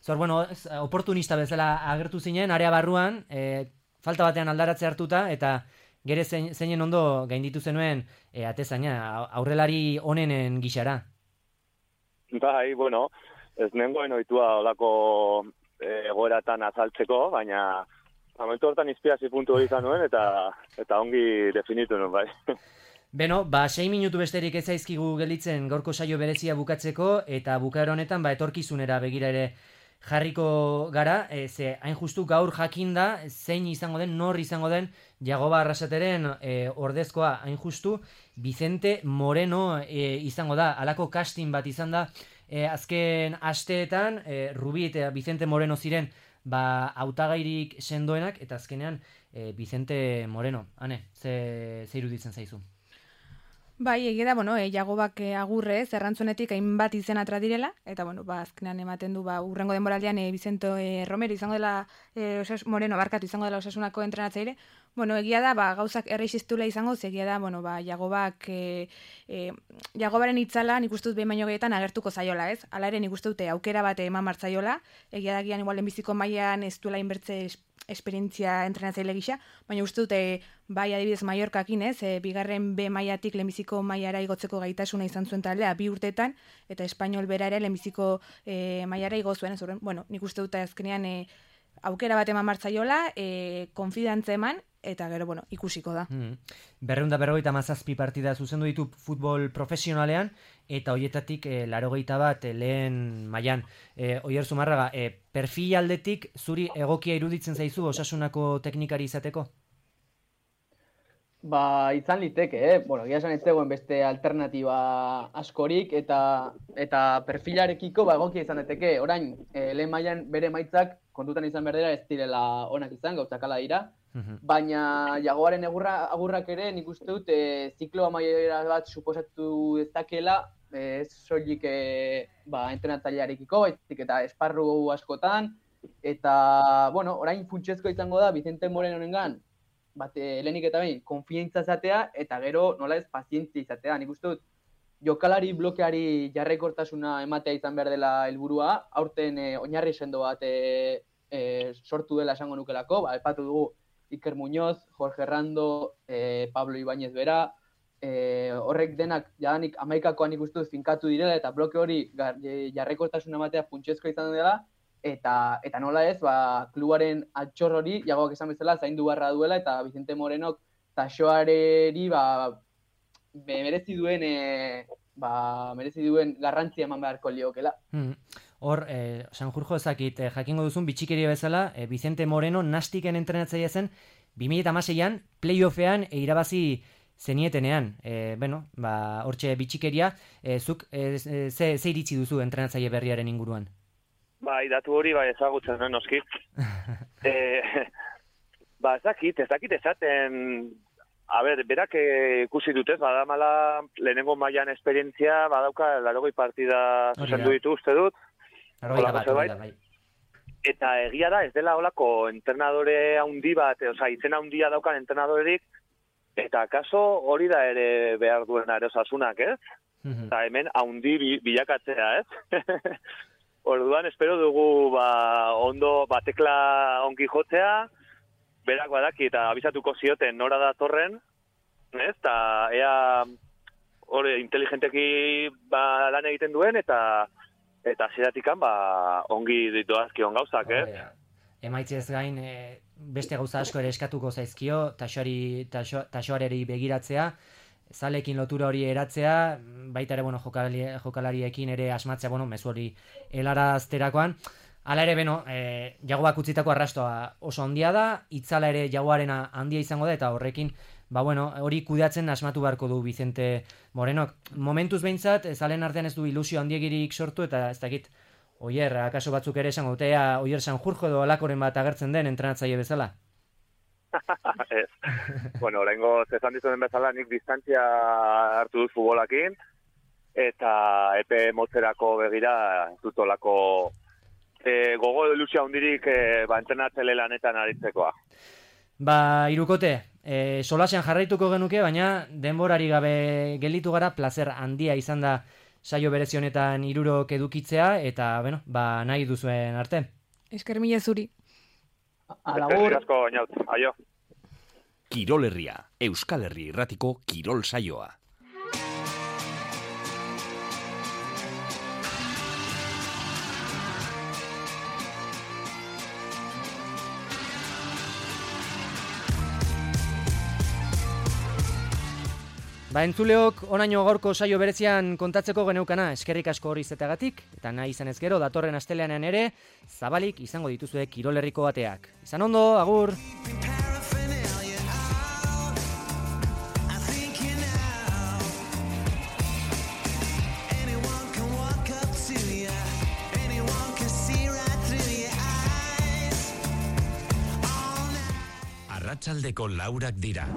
zor, bueno, oportunista bezala agertu zinen, area barruan, e, falta batean aldaratze hartuta, eta gere zein, zeinen ondo gainditu zenuen e, atezaina, aurrelari onenen gixara. Bai, bueno, ez nengoen oitua olako egoeratan azaltzeko, baina... Momentu hortan inspirazio puntu hori izan nuen, eta, eta ongi definitu nuen, bai. Beno, ba, sei minutu besterik ez zaizkigu gelitzen gaurko saio berezia bukatzeko, eta bukaero honetan, ba, etorkizunera begira ere jarriko gara, e, ze hain justu gaur jakinda, zein izango den, nor izango den, Jagoba Arrasateren e, ordezkoa hain justu, Vicente Moreno e, izango da, halako casting bat izan da, e, azken asteetan, e, Rubi eta Vicente Moreno ziren, ba, hautagairik sendoenak, eta azkenean e, Vicente Moreno. Hane, ze, ze iruditzen zaizu? Bai, egia da, bueno, e, Jagobak e, agurre, zerrantzunetik hainbat izen atra direla, eta, bueno, ba, azkenean ematen du, ba, urrengo denboraldian e, Vicente e, Romero izango dela, e, osas, Moreno, barkatu izango dela Osasunako entrenatzaile. Bueno, egia da, ba, gauzak errexistula izango, egia da, bueno, ba, Jagobak, e, e, Jagobaren itzala, nik uste dut behin baino gehietan agertuko zaiola, ez? Hala ere, nik uste dute aukera bate eman martzaiola, egia da gian, igual, lehenbiziko mailan ez duela inbertze esperientzia entrenatzaile gisa, baina uste dute bai adibidez Mallorcakin, ez, e, bigarren B mailatik lehenbiziko mailara igotzeko gaitasuna izan zuen taldea bi urtetan, eta Espainol bera ere lehenbiziko e, mailara igo zuen, ez horren, bueno, nik uste dute azkenean e, aukera bat eman martzaiola, e, konfidantza eman, eta gero, bueno, ikusiko da. Mm. Berreunda berrogeita mazazpi partida zuzendu ditu futbol profesionalean, eta hoietatik e, larogeita bat e, lehen mailan. E, Oier Zumarraga, e, perfil aldetik zuri egokia iruditzen zaizu Osasunako teknikari izateko? Ba, izan liteke, eh? Bueno, gira esan ez zegoen beste alternatiba askorik, eta eta perfilarekiko ba, egokia izan daiteke. Orain, e, lehen mailan bere maitzak kontutan izan berdera ez direla onak izan, gauzak hala dira. Uh-huh. Baina Jagoaren egurra, agurrak ere nik uste dut e, ziklo amaiera bat suposatu dezakela, ez e, soilik e, ba, entrenatzailearekiko, baizik eta esparru askotan, eta, bueno, orain funtsezko izango da Vicente Morenonengan, bat, lehenik eta behin, konfiantza izatea, eta gero, nola ez, pazientzia izatea. Nik uste dut, jokalari blokeari jarraikortasuna ematea izan behar dela helburua, aurten e, oinarri sendo bat e, e, sortu dela esango nukelako, ba, epatu dugu Iker Muñoz, Jorge Rando, e, Pablo Ibáñez bera, e, horrek denak jadanik amaikakoan ikustu finkatu direla, eta bloke hori jarraikortasuna ematea funtsezko izan dela, Eta, eta nola ez, ba, klubaren altxor hori, Jagoak esan bezala, zaindu barra duela, eta Vicente Morenok taxoareri ba, merezi duen, e, ba, merezi duen garrantzia eman beharko liokela. Hmm. Hor, eh, Sanjurjo ezakit, eh, jakingo duzun bitxikeria bezala, eh, Vicente Moreno nastiken entrenatzailea zen, bi mila hamaseian playoffean e, irabazi zenietenean. Eh, bueno, ba, hortxe bitxikeria, eh, zuk eh, ze, ze iritzi duzu entrenatzaile berriaren inguruan? Bai, datu hori bai ezagutzen, no, noski. e, ba, ez dakit, ez dakit ezaten, a ber, berak ikusi dutez, badamala lehenengo mailan esperientzia, badauka larogei partida zuzendu ditu uste dut. Larogei bat, bai. Eta egia da, ez dela holako entrenadore handi bat, oza, izena handia daukan entrenadorerik, Eta kaso hori da ere behar duena ere Osasunak, ez? Eta hemen haundi bi- bilakatzea, ez? Orduan, espero dugu ba, ondo batekla ongi jotzea, berak badaki eta abisatuko zioten nora da torren, ez? Eta ea hori inteligenteki ba, lan egiten duen eta eta zeratikan ba, ongi doazkion gauzak, ez? Emaitzez gain, e, beste gauza asko ere eskatuko zaizkio, taxoari, taxo, taxoareri begiratzea, zalekin lotura hori eratzea, baita ere, bueno, jokalari, jokalariekin ere asmatzea, bueno, mezu hori helarazterakoan. Hala ere, beno, e, jagoak utzitako arrastoa oso handia da, itzala ere jagoarena handia izango da, eta horrekin, ba bueno, hori kudeatzen asmatu beharko du Vicente Morenok. Momentuz behintzat, zalen artean ez du ilusio handiegirik sortu, eta ez dakit, Oier, akaso batzuk ere esango dutea, Oier Sanjurjo edo alakoren bat agertzen den entrenatzaile bezala? Ez. Bueno, oraingo esan dizuen bezala nik distantzia hartu dut futbolakin eta epe motzerako begira ez dut olako e, gogo ilusio handirik e, ba, entrenatzaile lanetan aritzekoa. Ba, irukote, e, solasean jarraituko genuke, baina denborari gabe gelditu gara, placer handia izan da saio berezi honetan hirurok edukitzea, eta, bueno, ba, nahi duzuen arte. Esker mila zuri. Alagur. Eskerrik asko, Inaut. Aio. Kirol Herria, Euskal Herri irratiko kirol saioa. Ba, entzuleok, onaino gaurko saio berezian kontatzeko geneukana, eskerrik asko hori zetagatik, eta nahi izan ez gero, datorren asteleanean ere, zabalik izango dituzue Kirol Herriko ateak. Izan ondo, agur! Arratsaldeko laurak dira.